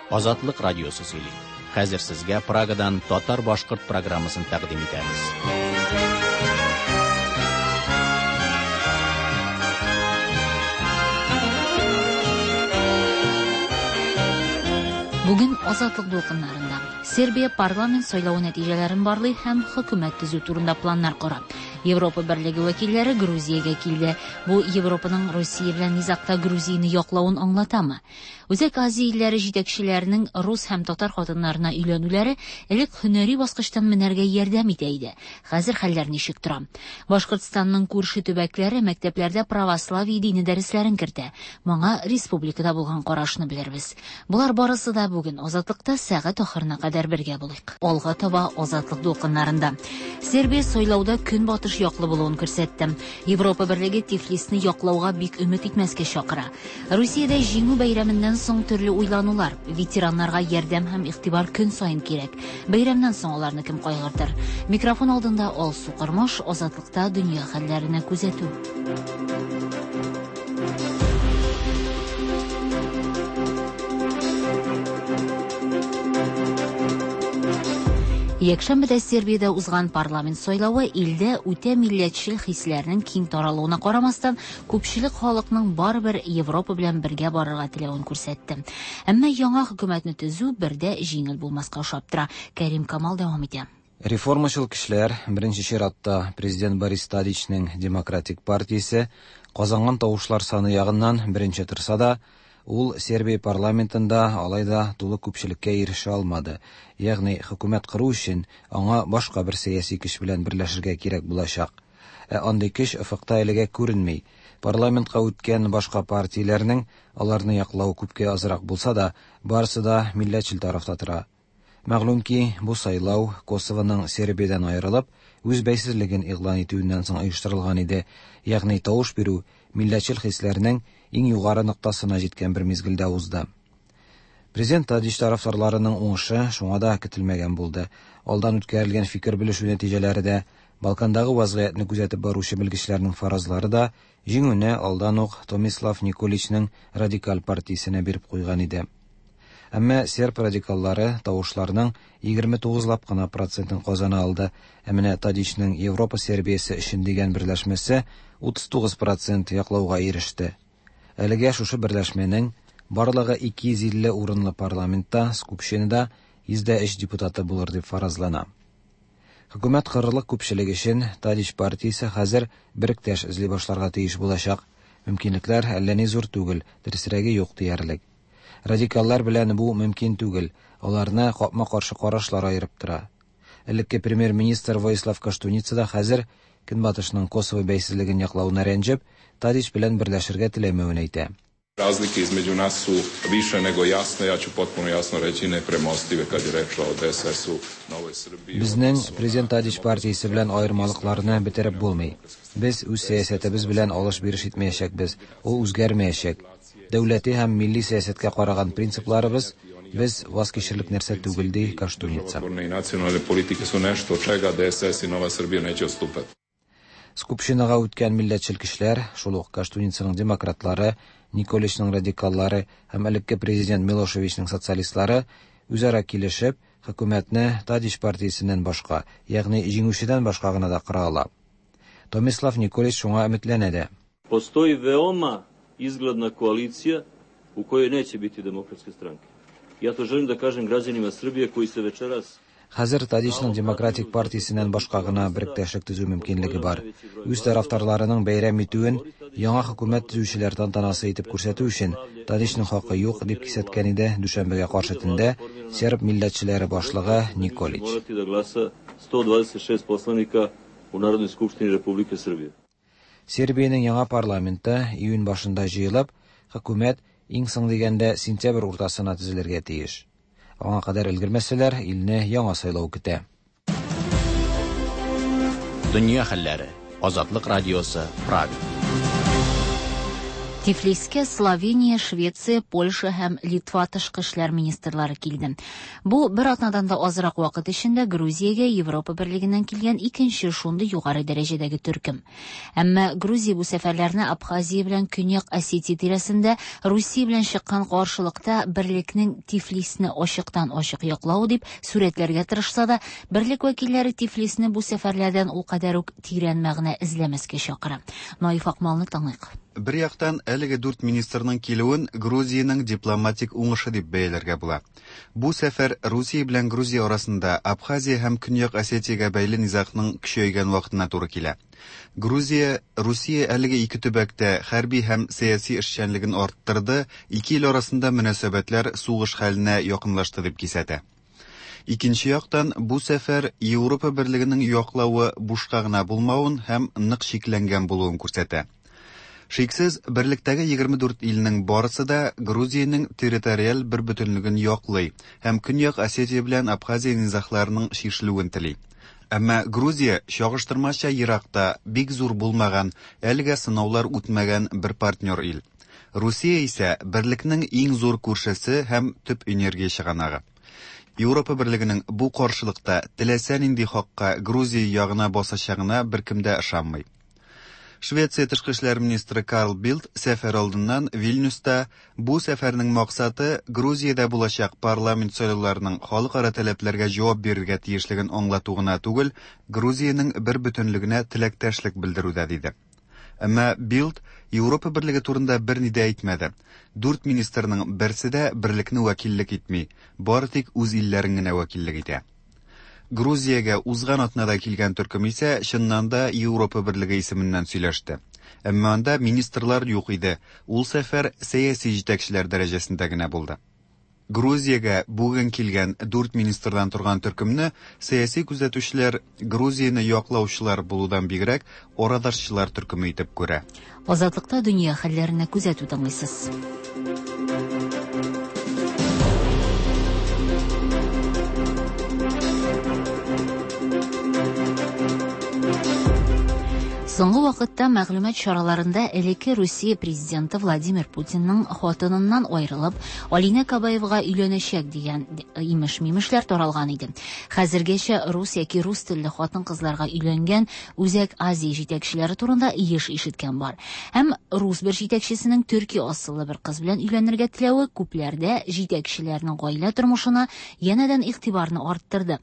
Азатлык радиосы сөйли. Хәзер сезгә Прагадан татар-башкорт программасын тәкъдим итәбез. Бүген Азатлык дулкыннарында Сербия парламент сайлавы нәтиҗәләрен барлый һәм хөкүмәт төзү турында планнар кора. Европа берлеге вәкилләре Грузиягә килде. Бу Европаның Русия белән низагта Грузияне яклавын аңлатамы? Үзәк Азия илләре җитәкчеләренең рус һәм татар хатыннарына өйләнүләре элек һөнәри баскычтан менәргә ярдәм итә иде. Хәзер хәлләр ничек тора? Башкортстанның күрше төбәкләре мәктәпләрдә православие дине дәресләрен кертә. Моңа республикада булган карашны белербез. Болар барысы да бүген Азатлыкта сәгать ахырына кадәр бергә булыйк. Алга таба Азатлык дулкыннарында. Сербия сайлауда көнбатыш яклы булуын күрсәтте. Европа берлеге Тифлисны яклауга бик өмет итмәскә чакыра. Русиядә җиңү бәйрәменнән соң төрле уйланулар. Ветераннарга ярдәм һәм игътибар көн саен кирәк. Бәйрәмнән соң аларны кем кайгыртыр? Микрофон алдында Алсу Кормаш, Азатлыкта дөнья хәлләренә күзәтү. Якшәмбедә Сербиядә узган парламент сайлавы илдә үтә милләтчел хисләрнең киң таралуына карамастан, күпчелек халыкның барыбер Европа белән бергә барырга теләвен күрсәтте. Әмма яңа хөкүмәтне төзү бердә җиңел булмаска ошап тора. Кәрим Камал дәвам итә. Реформачыл көчләр, беренче чиратта президент Борис Тадичның Демократик партиясе казанган тавышлар саны ягыннан беренче торса да, ул Сербия парламентында алай да тулы күпчелеккә ирешә алмады. Ягъни хөкүмәт кору өчен аңа башка бер сәяси көч белән берләшергә кирәк булачак. Ә андый көч офыкта әлегә күренми. Парламентка үткән башка партияләрнең аларны яклау күпкә азрак булса да, барысы да милләтчел тарафта тора. Мәгълүм ки, бу сайлау Косовоның Сербиядән аерылып, үз бәйсезлеген игълан итүеннән соң оештырылган иде. Ягъни тавыш бирү милләтчел хисләрнең иң югары ноктасына җиткән бер мизгелдә узды. Президент Тадич тарафдарларының уңышы шуңа да көтелмәгән булды. Алдан үткәрелгән фикер белешү нәтиҗәләре дә, Балкандагы вазгыятьне күзәтеп баручы белгечләрнең фаразлары да җиңүне алдан ук Томислав Николичның радикаль партиясенә биреп куйган иде. Әмма серб радикаллары тавышларның 29лап кына процентын казана алды. Ә менә Тадичның Европа Сербиясе өчен дигән берләшмәсе 39% яклауга иреште. Әлегә шушы берләшмәнең барлыгы 250 урынлы парламентта Скупщинада 103 депутаты булыр дип фаразлана. Хөкүмәт корырлык күпчелек өчен Тадич партиясе хәзер беректәш эзли башларга тиеш булачак. Мөмкинлекләр әллә ни зур түгел, дөресрәге юк диярлек. Радикаллар белән бу мөмкин түгел, аларны капма-каршы карашлар аерып тора. Элекке премьер-министр Воислав Коштуница да хәзер Көнбатышның Косово бәйсезлеген яклавына рәнҗеп, Тадич белән берләшергә теләмәвен әйтә. Razlike između nas su više nego jasne, ja ću potpuno jasno reći nepremostive kad je reč o DSS-u, Novoj Srbiji. Безнең президент Тадич партиясе белән аермалыкларны бетереп булмый. Без үз сәясәтебез белән алыш-биреш итмәячәкбез, ул үзгәрмәячәк. Дәүләти һәм милли сәясәткә караган принципларыбыз без ваз кичерлек нәрсә түгел, ди Коштуница. I nacionalne politike su nešto od čega DSS i Nova Srbija neće odstupati. Скупщинага үткән милләтчел көчләр, шул ук Коштуницаның демократлары, Николичның радикаллары һәм элекке президент Милошевичның социалистлары үзара килешеп, хөкүмәтне Тадич партиясеннән башка, ягъни җиңүчедән башка гына да кыра ала. Томислав Николич шуңа өметләнә дә. Postoji veoma izgledna koalicija u kojoj neće biti demokratske stranke. Ja to želim da kažem građanima Srbije koji se večeras Хәзер Тадичның демократик партиясеннән башка гына беректәшлек төзү мөмкинлеге бар. Үз тарафдарларының бәйрәм итүен яңа хөкүмәт төзүчеләр тантанасы итеп күрсәтү өчен Тадичның хакы юк дип кисәткән иде дүшәмбегә каршы төндә серб милләтчеләре башлыгы Николич. Morati da glasa 126 poslanika u Narodnoj skupštini Republike Srbije. Сербиянең яңа парламенты июнь башында җыелып, хөкүмәт иң соң дигәндә сентябрь уртасына төзелергә тиеш. Аңа кадәр өлгермәсәләр, илне яңа сайлау көтә. Дөнья хәлләре. Азатлык радиосы, Прага. Тифлискә Словения, Швеция, Польша һәм Литва тышкы эшләр министрлары килде. Бу бер атнадан да азрак вакыт эчендә Грузиягә Европа Берлегеннән килгән икенче шундый югары дәрәҗәдәге төркем. Әмма Грузия бу сәфәрләрне Абхазия белән Көньяк Осетия тирәсендә Русия белән чыккан каршылыкта берлекнең Тифлисне ачыктан-ачык яклавы дип сурәтләргә тырышса да, берлек вәкилләре Тифлисне бу сәфәрләрдән ул кадәр үк тирән мәгънә эзләмәскә чакыра. Наиф Акмалны тыңлыйк. Бер яктан, әлеге дүрт министрның килүен Грузиянең дипломатик уңышы дип бәяләргә була. Бу сәфәр Русия белән Грузия арасында Абхазия һәм Көньяк Осетиягә бәйле низагның көчәйгән вакытына туры килә. Грузия Русия әлеге ике төбәктә хәрби һәм сәяси эшчәнлеген арттырды, ике ил арасында мөнәсәбәтләр сугыш хәленә якынлашты дип кисәтә. Икенче яктан, бу сәфәр Европа Берлегенең яклавы бушка гына булмавын һәм нык чикләнгән булуын күрсәтә. Шиксез, берлектәге 24 илнең барысы да Грузиянең территориаль бербөтенлеген яклый һәм Көньяк Осетия белән Абхазия низагларының чишелүен тели. Әмма Грузия чагыштырмача еракта, бик зур булмаган, әлегә сынаулар үтмәгән бер партнер ил. Русия исә берлекнең иң зур күршесе һәм төп энергия чыганагы. Европа Берлегенең бу каршылыкта теләсә нинди хакка Грузия ягына басачагына беркем дә ышанмый. Швеция тышкы эшләр министры Карл Билд сәфәр алдыннан Вильнюста бу сәфәрнең максаты Грузиядә булачак парламент сайлауларының халыкара таләпләргә җавап бирергә тиешлеген аңлату гына түгел, Грузиянең бербөтенлегенә теләктәшлек белдерү дә диде. Әмма Билд Европа Берлеге турында берни дә әйтмәде. Дүрт министрның берсе дә берлекне вәкиллек итми, бары тик үз илләрен генә вәкиллек итә. Грузиягә узган атнада килгән төркем исә чыннан да Европа Берлеге исеменнән сөйләште. Әмма анда министрлар юк иде. Ул сәфәр сәяси җитәкчеләр дәрәҗәсендә генә булды. Грузиягә бүген килгән дүрт министрдан торган төркемне сәяси күзәтүчеләр Грузияне яклаучылар булудан бигрәк арадашчылар төркеме итеп күрә. Азатлыкта дөнья хәлләренә күзәтү тыңлыйсыз. Соңгы вакытта мәгълүмат чараларында элекке Русия президенты Владимир Путинның хатыныннан аерылып, Алинә Кабаевага өйләнәчәк дигән имеш-мимешләр таралган иде. Хәзергәчә рус яки рус телле хатын-кызларга өйләнгән Үзәк Азия җитәкчеләре турында еш ишеткән бар. Һәм рус бер җитәкчесенең төрки асыллы бер кыз белән өйләнергә теләве күпләрдә җитәкчеләрнең гаилә тормышына янәдән игътибарны арттырды.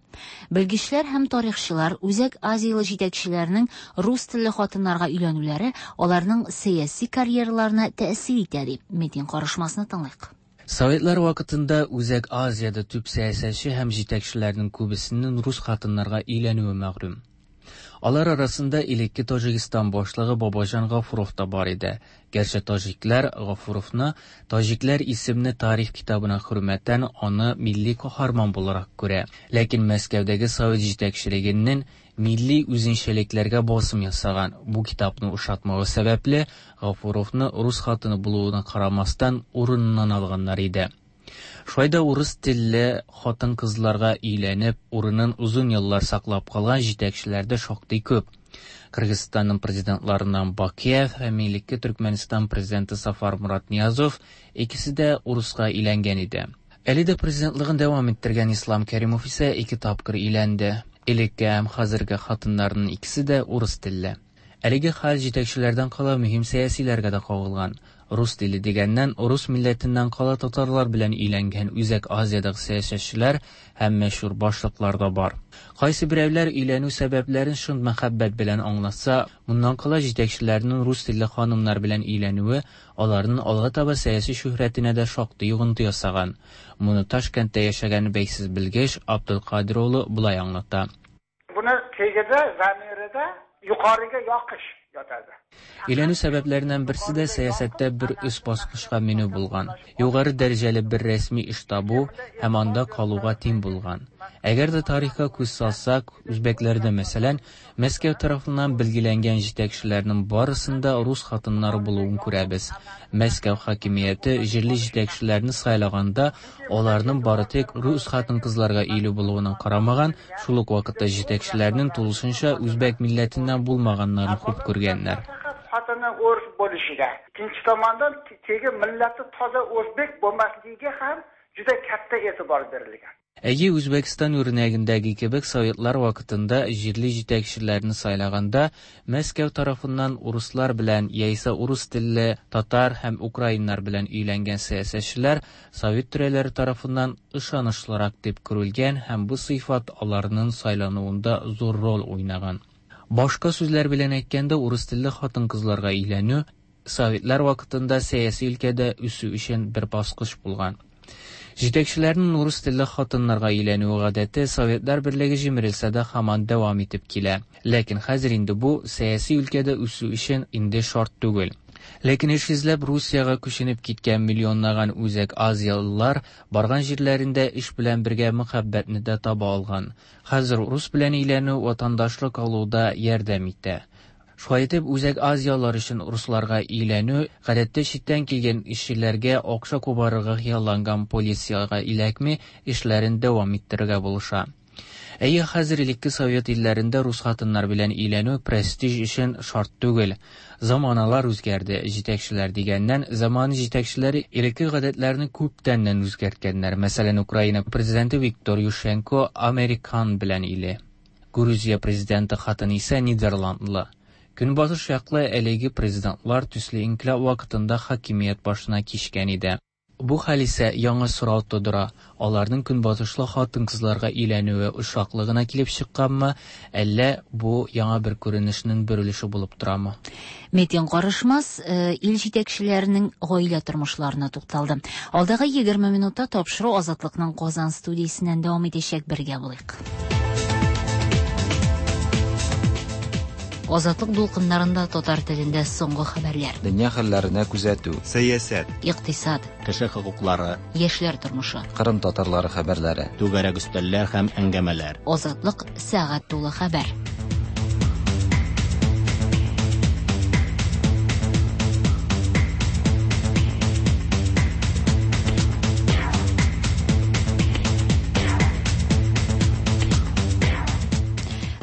Белгечләр һәм тарихчылар Үзәк Азиялы җитәкчеләрнең рус телле хатыннарга өйләнүләре аларның сәяси карьераларына тәэсир итә дип, Метин карышмасны тыңлыйк. Советлар вакытында Үзәк Азиядә төп сәясәтче һәм җитәкчеләрнең күбесенең рус хатыннарга өйләнүе мәгълүм. Алар арасында элекке Таҗикстан башлыгы Бабаҗан Гафуров та бар иде. Гәрчә таҗиклар Гафуровны Таҗикләр исемле тарих китабына хөрмәтән аны милли каһарман буларак күрә. Ләкин Мәскәүдәге совет җитәкчелегенең милли үзенчәлекләргә басым ясаган бу китапны ошатмавы сәбәпле, Гафуровны рус хатыны булуына карамастан урыныннан алганнар иде. Шулай да урыс телле хатын-кызларга өйләнеп, урынын озын еллар саклап калган җитәкчеләр дә шактый күп. Кыргызстанның президентларыннан Бакиев һәм элекке Төркмәнстан президенты Сафар Мурат Ниязов икесе дә урыска өйләнгән иде. Әле дә президентлыгын дәвам иттергән Ислам Кәримов исә ике тапкыр өйләнде. Элекке һәм хәзерге хатыннарының икесе дә урыс телле. Әлеге хәл җитәкчеләрдән кала мөһим сәясиләргә дә кагылган. Рус теле дигәннән, рус милләтеннән кала татарлар белән өйләнгән Үзәк Азиядәге сәясәтчеләр һәм мәшһүр башлыклар да бар. Кайсы берәүләр өйләнү сәбәпләрен чын мәхәббәт белән аңлатса, моннан кала җитәкчеләрнең рус телле ханымнар белән өйләнүе аларның алга таба сәяси шөһрәтенә дә шактый йогынты ясаган. Моны Ташкентта яшәгән бәйсез белгеч Абдулкадир улы болай аңлата. Буны tagida, zamirida yuqoriga yoqish yotadi. Өйләнү сәбәпләреннән берсе дә сәясәттә бер өс баскычка менү булган. Югары дәрәҗәле бер рәсми эш табу һәм анда калуга тиң булган. Әгәр дә тарихка күз салсак, үзбәкләрдә, мәсәлән, Мәскәү тарафыннан билгеләнгән җитәкчеләрнең барысында рус хатыннары булуын күрәбез. Мәскәү хакимияте җирле җитәкчеләрне сайлаганда аларның бары тик рус хатын-кызларга өйле булуына карамаган, шул ук вакытта җитәкчеләрнең тулысынча үзбәк милләтеннән булмаганнарын хуп күргәннәр. Xotini bilan o'ris bo'lishiga, ikkinchi tomondan tegi millati toza o'zbek bo'lmasligiga ham juda katta e'tibor berilgan. Әйе, Үзбәкстан үрнәгендәге кебек советлар вакытында җирле җитәкчеләрне сайлаганда Мәскәү тарафыннан урыслар белән яисә урыс телле татар һәм украиннар белән өйләнгән сәясәтчеләр совет түрәләре тарафыннан ышанычлырак дип күрелгән һәм бу сыйфат аларның сайлануында зур роль уйнаган. Башка сүзләр белән әйткәндә, урыс телле хатын-кызларга өйләнү советлар вакытында сәяси өлкәдә үсү өчен бер баскыч булган. Җитәкчеләрнең урыс телле хатыннарга өйләнүе гадәте Советлар Берлеге җимерелсә дә һаман дәвам итеп килә. Ләкин хәзер инде бу сәяси өлкәдә үсү өчен инде шарт түгел. Ләкин эш эзләп Русиягә күченеп киткән миллионлаган Үзәк Азиялылар барган җирләрендә эш белән бергә мәхәббәтне дә таба алган. Хәзер рус белән өйләнү ватандашлык алуда ярдәм итә. Шулай итеп, Үзәк Азиялар өчен русларга өйләнү, гадәттә читтән килгән эшчеләргә акча кубарырга хыялланган полициягә эләкми, эшләрен дәвам иттерергә булыша. Әйе, хәзер элекке совет илләрендә рус хатыннар белән өйләнү престиж өчен шарт түгел. Заманалар үзгәрде, җитәкчеләр дигәннән, заман җитәкчеләре элекке гадәтләрне күптәннән үзгәрткәннәр. Мәсәлән, Украина президенты Виктор Ющенко американ белән иле. Грузия президенты хатыны исә нидерландлы. Көнбатыш яклы әлеге президентлар төсле инкыйлаб вакытында хакимият башына кичкән иде. Бу хәл исә яңа сорау тудыра. Аларның көнбатышлы хатын-кызларга өйләнүе очраклы гына килеп чыкканмы, әллә бу яңа бер күренешнең бер өлеше булып торамы? Метин Карышмас ил җитәкчеләренең гаилә тормышларына тукталды. Алдагы 20 минутта тапшыру Азатлыкның Казан студиясеннән дәвам итәчәк, бергә булыйк. Азатлык дулкыннарында татар телендә соңгы хәбәрләр. Дөнья хәлләренә күзәтү. Сәясәт. Икътисад. Кеше хокуклары. Яшьләр тормышы. Кырым татарлары хәбәрләре. Түгәрәк өстәлләр һәм әңгәмәләр. Азатлык сәгать тулы хәбәр.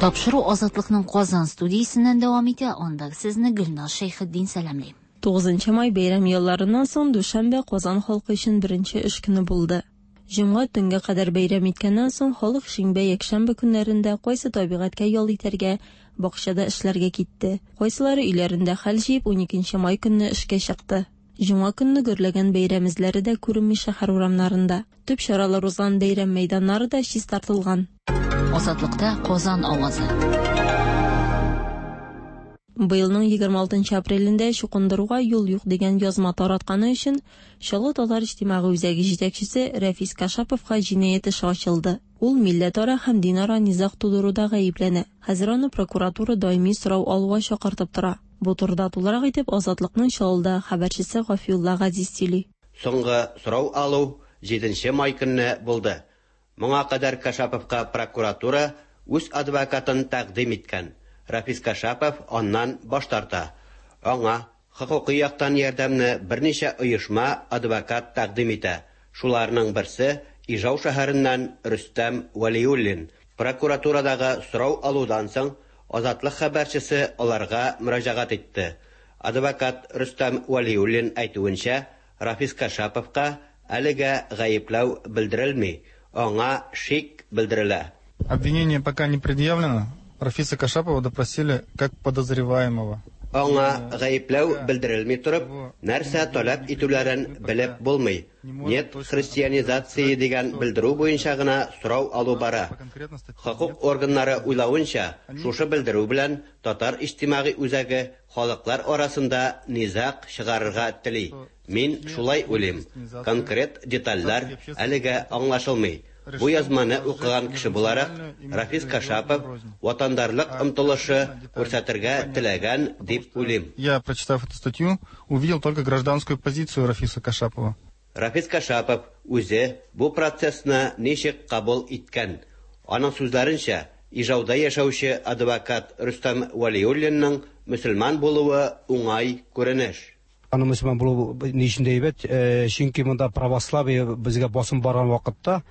Тапшыру Азатлыкның Казан студиясеннән дәвам итә. Анда сезне Гөлназ Шәйхетдин сәламли. 9 май бәйрәм ялларыннан соң дүшәмбе Казан халкы өчен беренче эш көне булды. Җомга төнгә кадәр бәйрәм иткәннән соң халык шимбә, якшәмбе көннәрендә кайсы табигатькә ял итәргә, бакчада эшләргә китте. Кайсылары өйләрендә хәл җыеп 12 май көнне эшкә чыкты. Җомга көнне гөрләгән бәйрәм эзләре дә күренми шәһәр урамнарында. Төп чаралар узган бәйрәм мәйданнары да чистартылган. Азатлыкта Казан авазы. Быелның 26 апрелендә чукындыруга юл юк дигән язма таратканы өчен Чаллы татар иҗтимагый үзәге җитәкчесе Рәфис Кашаповка җинаять эше ачылды. Ул милләтара һәм динара низаг тудыруда гаепләнә. Хәзер аны прокуратура даими сорау алуга чакыртып тора. Бу турыда тулырак итеп Азатлыкның Чаллыда хәбәрчесе Гафиулла Газиз сөйли. Соңгы сорау алу 7 май көнне булды. Моңа кадәр Кашаповка прокуратура үз адвокатын тәкъдим иткән. Рафис Кашапов аннан баш тарта. Аңа хокукый яктан ярдәмне берничә оешма адвокат тәкъдим итә. Шуларның берсе Ижау шәһәреннән Рөстәм Вәлиуллин. Прокуратурадагы сорау алудан соң Азатлык хәбәрчесе аларга мөрәҗәгать итте. Адвокат Рөстәм Вәлиуллин әйтүенчә, Рафис Кашаповка әлегә гаепләү белдерелми. Аңа шик белдерелә. Обвинение пока не предъявлено. Рафиса Кашапова допросили как подозреваемого. Аңа гаепләү белдерелми торып, нәрсә таләп итүләрен белеп булмый. Нет христианизации дигән белдерү буенча гына сорау алу бара. Хокук органнары уйлавынча, шушы белдерү белән татар иҗтимагый үзәге халыклар арасында низаг чыгарырга тели. Мин шулай уйлыйм. Конкрет детальләр әлегә аңлашылмый. Бу язманы укыган кеше буларак, Рафис Кашапов ватандарлык омтылышы күрсәтергә теләгән дип уйлыйм. Я, прочитав эту статью, увидел только гражданскую позицию Рафиса Кашапова. Рафис Кашапов үзе бу процессны ничек кабул иткән? Аның сүзләренчә, Ижауда яшәүче адвокат Рөстәм Вәлиуллинның мөселман булуы уңай күренеш. Аның мөселман булуы ни өчен дә әйбәт, чөнки монда православие безгә басым барган вакытта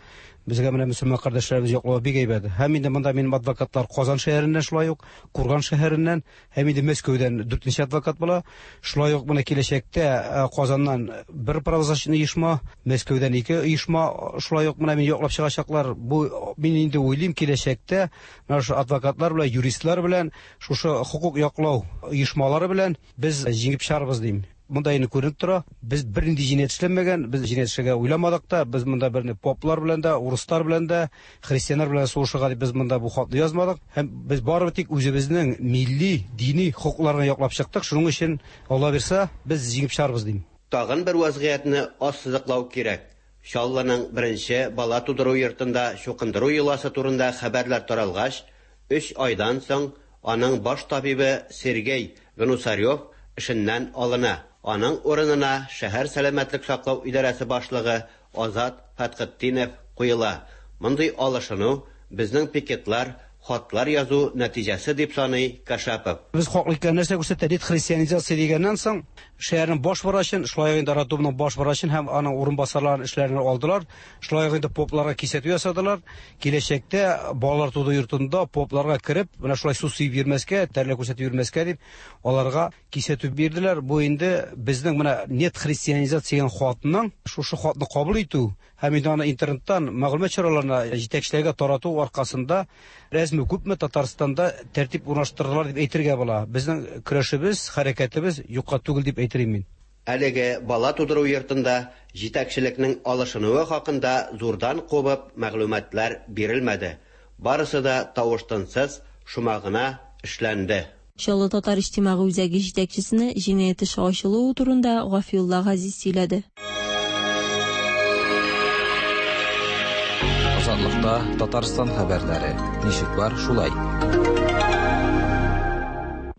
Безгә менә мөселман кардәшләребез яклавы бик әйбәт. Һәм инде монда минем адвокатлар Казан шәһәреннән шулай ук, Курган шәһәреннән һәм инде Мәскәүдән дүртенче адвокат була. Шулай ук менә киләчәктә Казаннан бер правозащитный оешма, Мәскәүдән ике оешма шулай ук менә мине яклап чыгачаклар. Бу мин инде уйлыйм, киләчәктә менә шушы адвокатлар белән, юристлар белән, шушы хокук яклау оешмалары белән без җиңеп чыгарбыз дим. Монда инде күренеп тора, без бернинди җинаять эшләмәгән, без җинаять эшләргә уйламадык та, без монда берни поплар белән дә, урыслар белән дә, христианнар белән сугышырга дип без монда бу хатны язмадык. Һәм без барыбер тик үзебезнең милли, дини хокукларны яклап чыктык. Шуның өчен, Алла бирса, без җиңеп чыгарбыз дим. Тагын бер вазгыятьне ассызыклау кирәк. Чаллының беренче бала тудыру йортында чукындыру йоласы турында хәбәрләр таралгач, өч айдан соң аның баш табибы Сергей Гнусарев эшеннән алына. Аның урынына шәһәр сәламәтлек саклау идарәсе башлыгы Азат Фәтхетдинов куела. Мондый алышыну безнең пикетлар, хатлар язу нәтиҗәсе дип саный Кашапов. Без хаклы икән нәрсә күрсәтә? Нет христианизация дигәннән соң, шәһәрнең баш врачын, шулай ук инде роддомның баш врачын һәм аның урынбасарларын эшләреннән алдылар. Шулай ук инде попларга кисәтү ясадылар. Киләчәктә балалар тудыру йортында попларга кереп, менә шулай су сибеп йөрмәскә, тәрләр күрсәтеп йөрмәскә дип, аларга кисәтү бирделәр. Бу инде безнең менә нет христианизация дигән хатның, шушы хатны кабул итү һәм инде аны интернеттан мәгълүмат чараларына җитәкчеләргә тарату аркасында әзме күпме Татарстанда тәртип урнаштырдылар дип әйтергә була. Безнең көрәшебез, хәрәкәтебез юкка түгел дип әйтер идем мин. Әлеге бала тудыру йортында җитәкчелекнең алышынуы хакында зурдан кубып мәгълүматлар бирелмәде. Барысы да тавыш-тынсыз, шома гына эшләнде. Чаллы татар иҗтимагый үзәге җитәкчесенә җинаять эше ачылуы турында Гафиулла Газиз сөйләде. Азатлыкта Татарстан хәбәрләре. Ничек бар, шулай.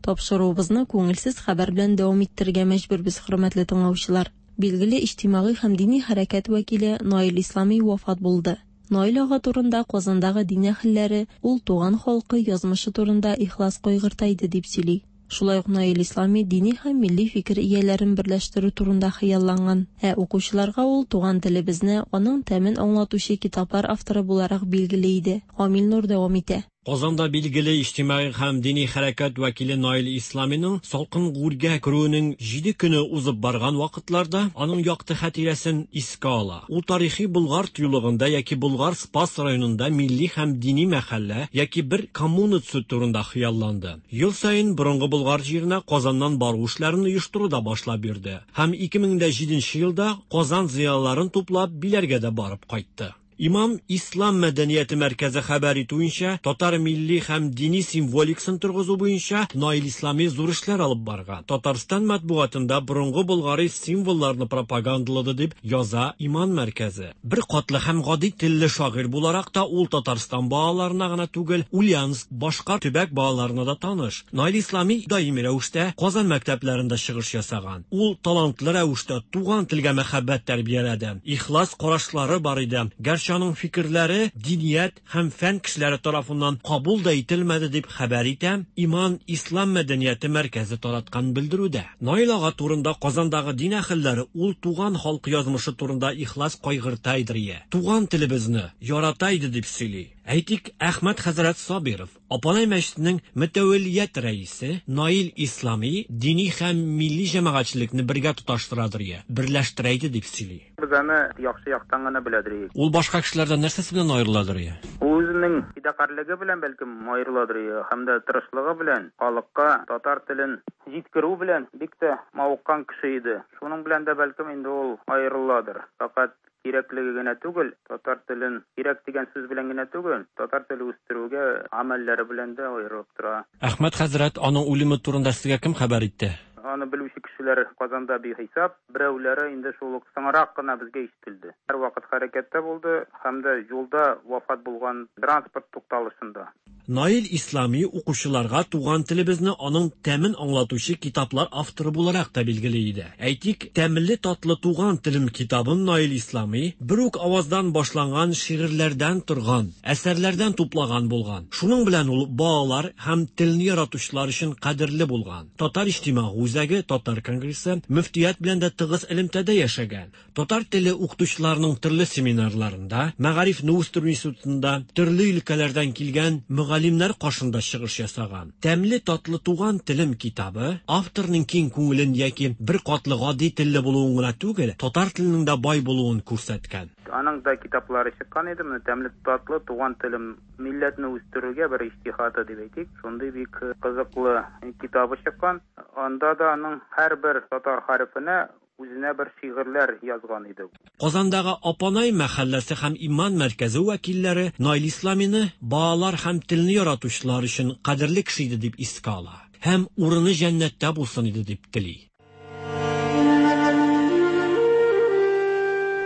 Тапшыруыбызны күңелсез хәбәр белән дәвам иттерергә мәҗбүрбез, хөрмәтле тыңлаучылар. Билгеле иҗтимагый һәм дини хәрәкәт вәкиле Наил Ислами вафат булды. Наил ага турында Казандагы дин әһелләре ул туган халкы язмышы турында ихлас кайгырта иде дип сөйли. Шулай ук Наил Ислами дини һәм милли фикер ияләрен берләштерү турында хыялланган. Ә укучыларга ул туган телебезне, аның тәмен аңлатучы китаплар авторы буларак билгеле иде. Амил Нур дәвам итә. Казанда билгеле иҗтимагый һәм дини хәрәкәт вәкиле Наил Исламиның салкын гүргә керүенең җиде көне узып барган вакытларда аның якты хатирәсен искә ала. Ул тарихи Болгар тыюлыгында яки Болгар Спас районында милли һәм дини мәхәллә яки бер коммуна төзү турында хыялланды. Ел саен борынгы Болгар җиренә Казаннан бару эшләрен оештыру да башлап йөрде. Һәм 2007 елда Казан зыялыларын туплап Биләргә дә барып кайтты. Имам Ислам мәдәнияте мәркәзе хәбәр итүенчә, татар милли һәм дини символикасын торгызу буенча Наил Ислами зур эшләр алып барган. Татарстан матбугатында борынгы болгари символларны пропагандалады дип яза Иман мәркәзе. Бер катлы һәм гади телле шагыйрь буларак та ул Татарстан балаларына гына түгел, Ульяновск, башка төбәк балаларына да таныш. Наил Ислами даими рәвештә Казан мәктәпләрендә чыгыш ясаган. Ул талантлы рәвештә туган телгә мәхәббәт тәрбияләде. Ихлас карашлары бар иде. Гәрчә аның фикерләре диният һәм фән кешеләре тарафыннан кабул да ителмәде дип хәбәр итә Иман Ислам мәдәнияте мәркәзе тараткан белдерүдә. Наил ага турында Казандагы дин әһелләре ул туган халкы язмышы турында ихлас кайгырта иде. Туган телебезне ярата иде дип сөйли. Әйтик, Әхмәт хәзрәт Сабиров, Апанай мәчетенең мөтәвәллият рәисе Наил Ислами дини һәм милли җәмәгатьчелекне бергә тоташтырадыр, берләштерә иде дип сөйли. Без аны яхшы яктан гына беләдер. Ул башка кешеләрдән нәрсәсе белән аерыладыр? Ул үзенең фидакарьлеге белән бәлкем аерыладыр, һәм дә тырышлыгы белән халыкка татар телен җиткерү белән бик тә мавыккан кеше иде. Шуның белән дә бәлкем инде ул аерыладыр. Фәкать кирәклеге генә түгел, татар телен кирәк дигән сүз белән генә түгел, татар теле үстерүгә гамәлләре белән дә аерылып тора. Әхмәт хәзрәт, аның үлеме турында сезгә кем хәбәр итте? Аны белүче кешеләр Казанда бихисап, берәүләре инде шул ук соңрак кына безгә ишетелде. Һәрвакыт хәрәкәттә булды һәм дә юлда вафат булган транспорт тукталышында. Наил Ислами укучыларга туган телебезне, аның тәмен аңлатучы китаплар авторы буларак та билгеле иде. Әйтик, Тәмле татлы туган телем китабын Наил Ислами бер үк аваздан башланган шигырьләрдән торган әсәрләрдән туплаган булган. Шуның белән ул балалар һәм телне яратучылар өчен кадерле булган. Татар иҗтимагый үзәге, Татар конгрессы, мөфтият белән дә тыгыз элемтәдә яшәгән. Татар теле укытучыларының төрле семинарларында, Мәгарифне үстерү институтында төрле өлкәләрдән килгән мөгаллимнәр каршында чыгыш ясаган. Тәмле татлы туган телем китабы авторның киң күңелен яки беркатлы гади телле булуын гына түгел, татар теленең дә бай булуын күрсәткән. Аның да китаплары чыккан иде. Менә Тәмле татлы туган телем милләтне үстерүгә бер иҗтиһады дип әйтик. Шундый бик кызыклы китабы чыккан. Анда да аның һәрбер татар хәрефенә үзенә бер шигырьләр язган иде. Казандагы Апанай мәхәлләсе һәм Иман мәркәзе вәкилләре Наил Исламины балалар һәм телне яратучылар өчен кадерле кеше иде дип искә ала һәм урыны җәннәттә булсын иде дип тели.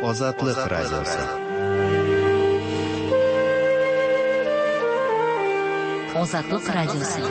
Азатлык радиосы. Азатлык радиосы.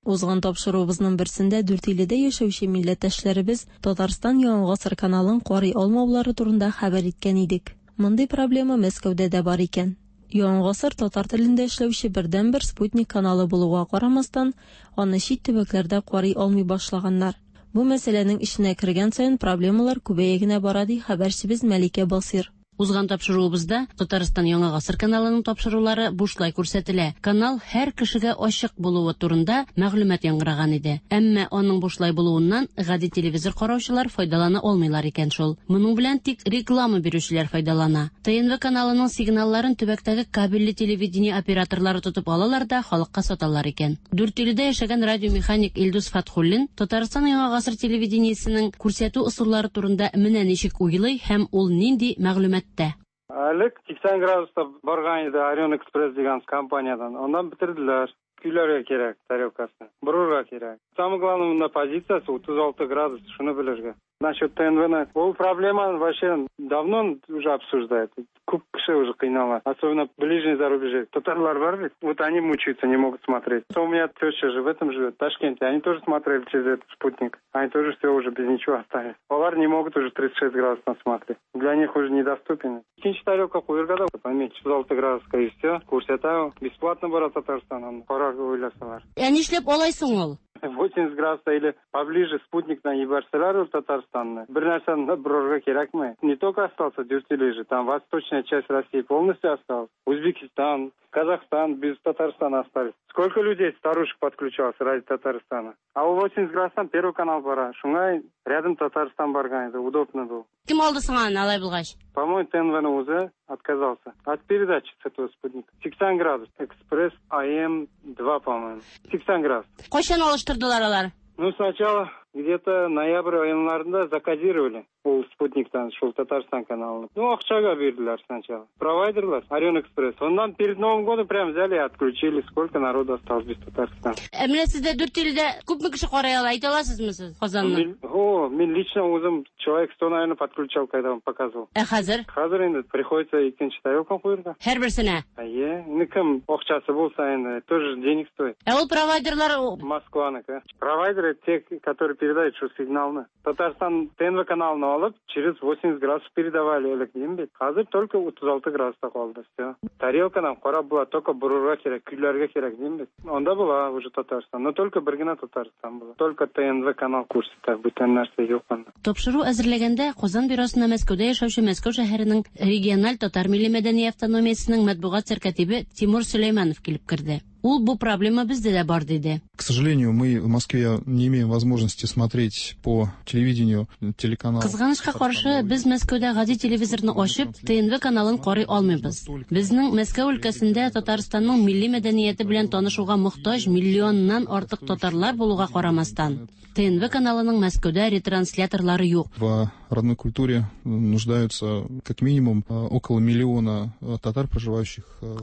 Узган тапшыруыбызның берсендә Дүртөйледә яшәүче милләттәшләребез Татарстан Яңа гасыр каналын карый алмаулары турында хәбәр иткән идек. Мондый проблема Мәскәүдә дә бар икән. Яңа гасыр татар телендә эшләүче бердәнбер спутник каналы булуга карамастан, аны чит төбәкләрдә карый алмый башлаганнар. Бу мәсьәләнең эченә кергән саен проблемалар күбәя генә бара, ди хәбәрчебез Мәликә Басыйр. Узган тапшыруыбызда Татарстан Яңа гасыр каналының тапшырулары бушлай күрсәтелә. Канал һәр кешегә ачык булуы турында мәгълүмат яңгыраган иде. Әмма аның бушлай булуыннан гади телевизор караучылар файдалана алмыйлар икән шул. Моның белән тик реклама бирүчеләр файдалана. ТНВ каналының сигналларын төбәктәге кабельле телевидение операторлары тотып алалар да халыкка саталар икән. Дүртөйледә яшәгән радиомеханик Илдус Фатхуллин Татарстан Яңа гасыр телевидениесенең күрсәтү ысуллары турында менә ничек уйлый һәм ул нинди мәгълүматта. Элек 80 градуста барган иде Орион Экспресс дигән компаниядән. Аннан бетерделәр. Көйләргә кирәк тарелкасын. Борырга кирәк. Самое главное, монда позициясе 36 градус, шуны белергә. Насчет ТНВ-ны, ул проблема вообще давно уже обсуждают. Күп кеше уже кыйнала. Особенно ближний зарубежье. Татарлар бар ведь, вот они мучаются, не могут смотреть. У меня теща же в этом живет, в Ташкенте. Они тоже смотрели через этот спутник. Они тоже все уже без ничего остались. Алар не могут уже 36 градусов смотреть. Для них уже недоступен. Икенче тарелка куярга да, поменьше 36 градуска и все. Күрсәтә, бесплатно бара Татарстаннан. Карарга уйласалар. Ә нишләп алай соң ул? 80 градуса или поближе спутник җибәрсәләр ул Татарстанны. Бер нәрсәне борырга кирәкме? Не только остался Дюртюли же, там восточная часть России полностью осталась. Узбекистан, Казахстан без Татарстана остались. Сколько людей, старушек подключалось ради Татарстана? А у 80 градустан Первый канал бара. Шуңа рядом Татарстан барган иде, удобно было. Кем алды соң аны алай булгач? По-моему, ТНВ уже отказался от передачи с этого спутника. 80 градус. Экспресс АМ2, по-моему. 80 градус. Кайчан алыштырдылар алар? Ну, сначала где-то ноябрь айларында закодировали ул спутниктан, шул Татарстан каналын. Ну, акчага бирделәр сначала. Провайдерлар, Орион Экспресс. Аннан перед Новым годом прям взяли и отключили. Сколько народу осталось без Татарстана. Ә менә сездә Дүртөйледә күпме кеше карый ала, әйтә аласызмы сез Казанны? О, мин лично үзем человек 100, наверное, подключал, когда он показывал. Ә хәзер? Хәзер инде приходится икенче тарелка куярга. Һәрберсенә? Әйе, инде кем акчасы булса инде, тоже денег стоит. Ә ул провайдерлар Москваныкы. Провайдеры те, которые передают шул сигналны. Татарстан ТНВ каналын алып, через 80 градусов передавали элек дим бит. Хәзер только 36 градуста калды, все. Тарелкадан карап була, только борырга кирәк, көйләргә кирәк дим бит. Анда була уже Татарстан, но только бер генә Татарстан була. Только ТНВ канал күрсәтә, бүтән нәрсә юк анда. Тапшыру әзерләгәндә Казан бюросына Мәскәүдә яшәүче Мәскәү шәһәренең региональ татар милли мәдәни автономиясенең матбугат сәркатибе Тимур Сөләйманов килеп керде. Ул бу проблема бездә дә бар диде. К сожалению, мы в Москве не имеем возможности смотреть по телевидению телеканал. Кызганычка каршы, без Мәскәүдә гади телевизорны ачып, ТНВ каналын карый алмыйбыз. Безнең Мәскәү өлкәсендә Татарстанның милли мәдәнияте белән танышуга мохтаҗ миллионнан артык татарлар булуга карамастан, ТНВ каналының Мәскәүдә ретрансляторлары юк. В родной культуре нуждаются как минимум около миллиона татар, проживающих.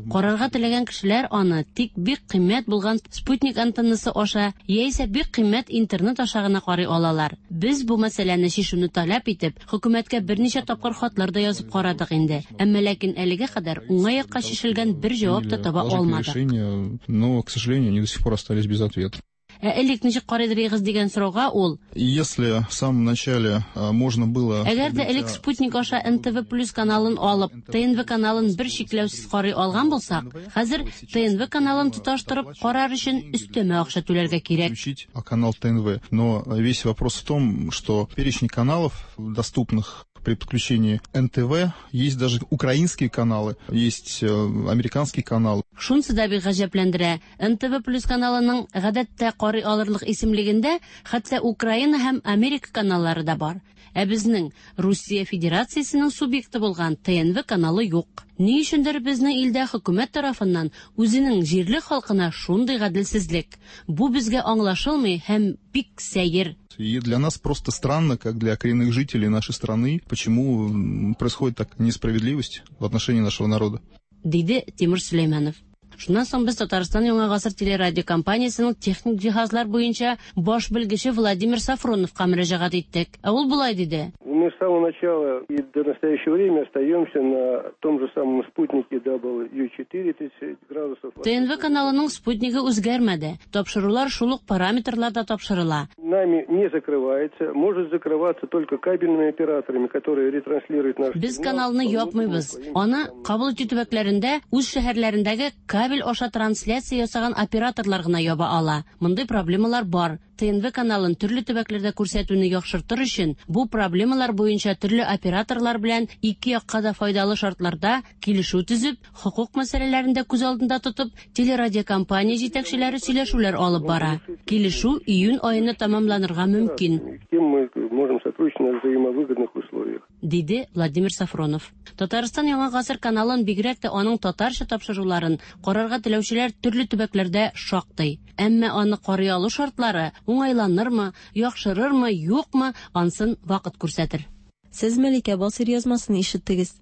Карарга теләгән кешеләр аны тик бик кыйммәт булган спутник антеннасы аша яисә бик кыйммәт интернет аша гына карый алалар. Без бу мәсьәләне чишүне таләп итеп, хөкүмәткә берничә тапкыр хатлар да язып карадык инде. Әмма ләкин әлегә кадәр уңай якка чишелгән бер җавап та таба алмадык. Но, к сожалению, они до сих пор остались без ответа. Ә элек ничек карыйдырыгыз дигән сорауга ул: Если в самом начале можно было Әгәр дә элек спутник аша НТВ плюс каналын алып, ТНВ каналын бер чикләүсез карый алган булсак, хәзер ТНВ каналын тоташтырып карар өчен өстәмә акча түләргә кирәк. Включить канал ТНВ. Но весь вопрос в том, что перечень каналов, доступных при подключении НТВ, есть даже украинские каналы, есть американский канал. Шунысы да бик гаҗәпләндерә. НТВ плюс каналының гадәттә карый алырлык исемлегендә хәтта Украина һәм Америка каналлары да бар. Ә безнең Русия Федерациясенең субъекты булган ТНВ каналы юк. Ни өчендер безнең илдә хөкүмәт тарафыннан үзенең җирле халкына шундый гаделсезлек. Бу безгә аңлашылмый һәм бик сәер. И для нас просто странно, как для коренных жителей нашей страны, почему происходит так несправедливость в отношении нашего народа. Диде Тимур Сөләйманов. Шуннан соң без Татарстан Яңа гасыр телерадиокомпаниясенең техник җиһазлар буенча баш белгече Владимир Сафроновка мөрәҗәгать иттек. Ә ул болай диде. Мы с самого начала и до настоящего времени остаемся на том же самом спутнике W4 30 градусов. ТНВ каналының спутнигы үзгәрмәде. Тапшырулар шул ук параметрларда тапшырыла. Нами не закрывается, может закрываться только кабельными операторами, которые ретранслируют наш Без каналны япмыйбыз. Аны кабул итү төбәкләрендә үз шәһәрләрендәге кабель аша трансляция ясаган операторлар гына яба ала. Мондый проблемалар бар. ТНВ каналын төрле төбәкләрдә күрсәтүне яхшыртыр өчен бу проблемалар буенча төрле операторлар белән ике якка да файдалы шартларда килешү төзеп, хокук мәсьәләләрен дә күз алдында тотып, телерадиокомпания җитәкчеләре сөйләшүләр алып бара. Килешү июнь аена тәмамланырга мөмкин. Кем мы можем сотрудничать на взаимовыгодных условиях. Диде Владимир Сафронов. Татарстан Яңа гасыр каналын, бигрәк тә аның татарча тапшыруларын карарга теләүчеләр төрле төбәкләрдә шактый. Әмма аны карый алу шартлары уңайланырмы, яхшырырмы, юкмы, ансын вакыт күрсәтер. Сез Мәликә Басыйр язмасын ишеттегез.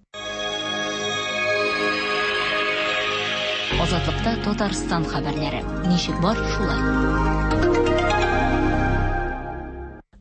Азатлыкта Татарстан хәбәрләре. Ничек бар, шулай.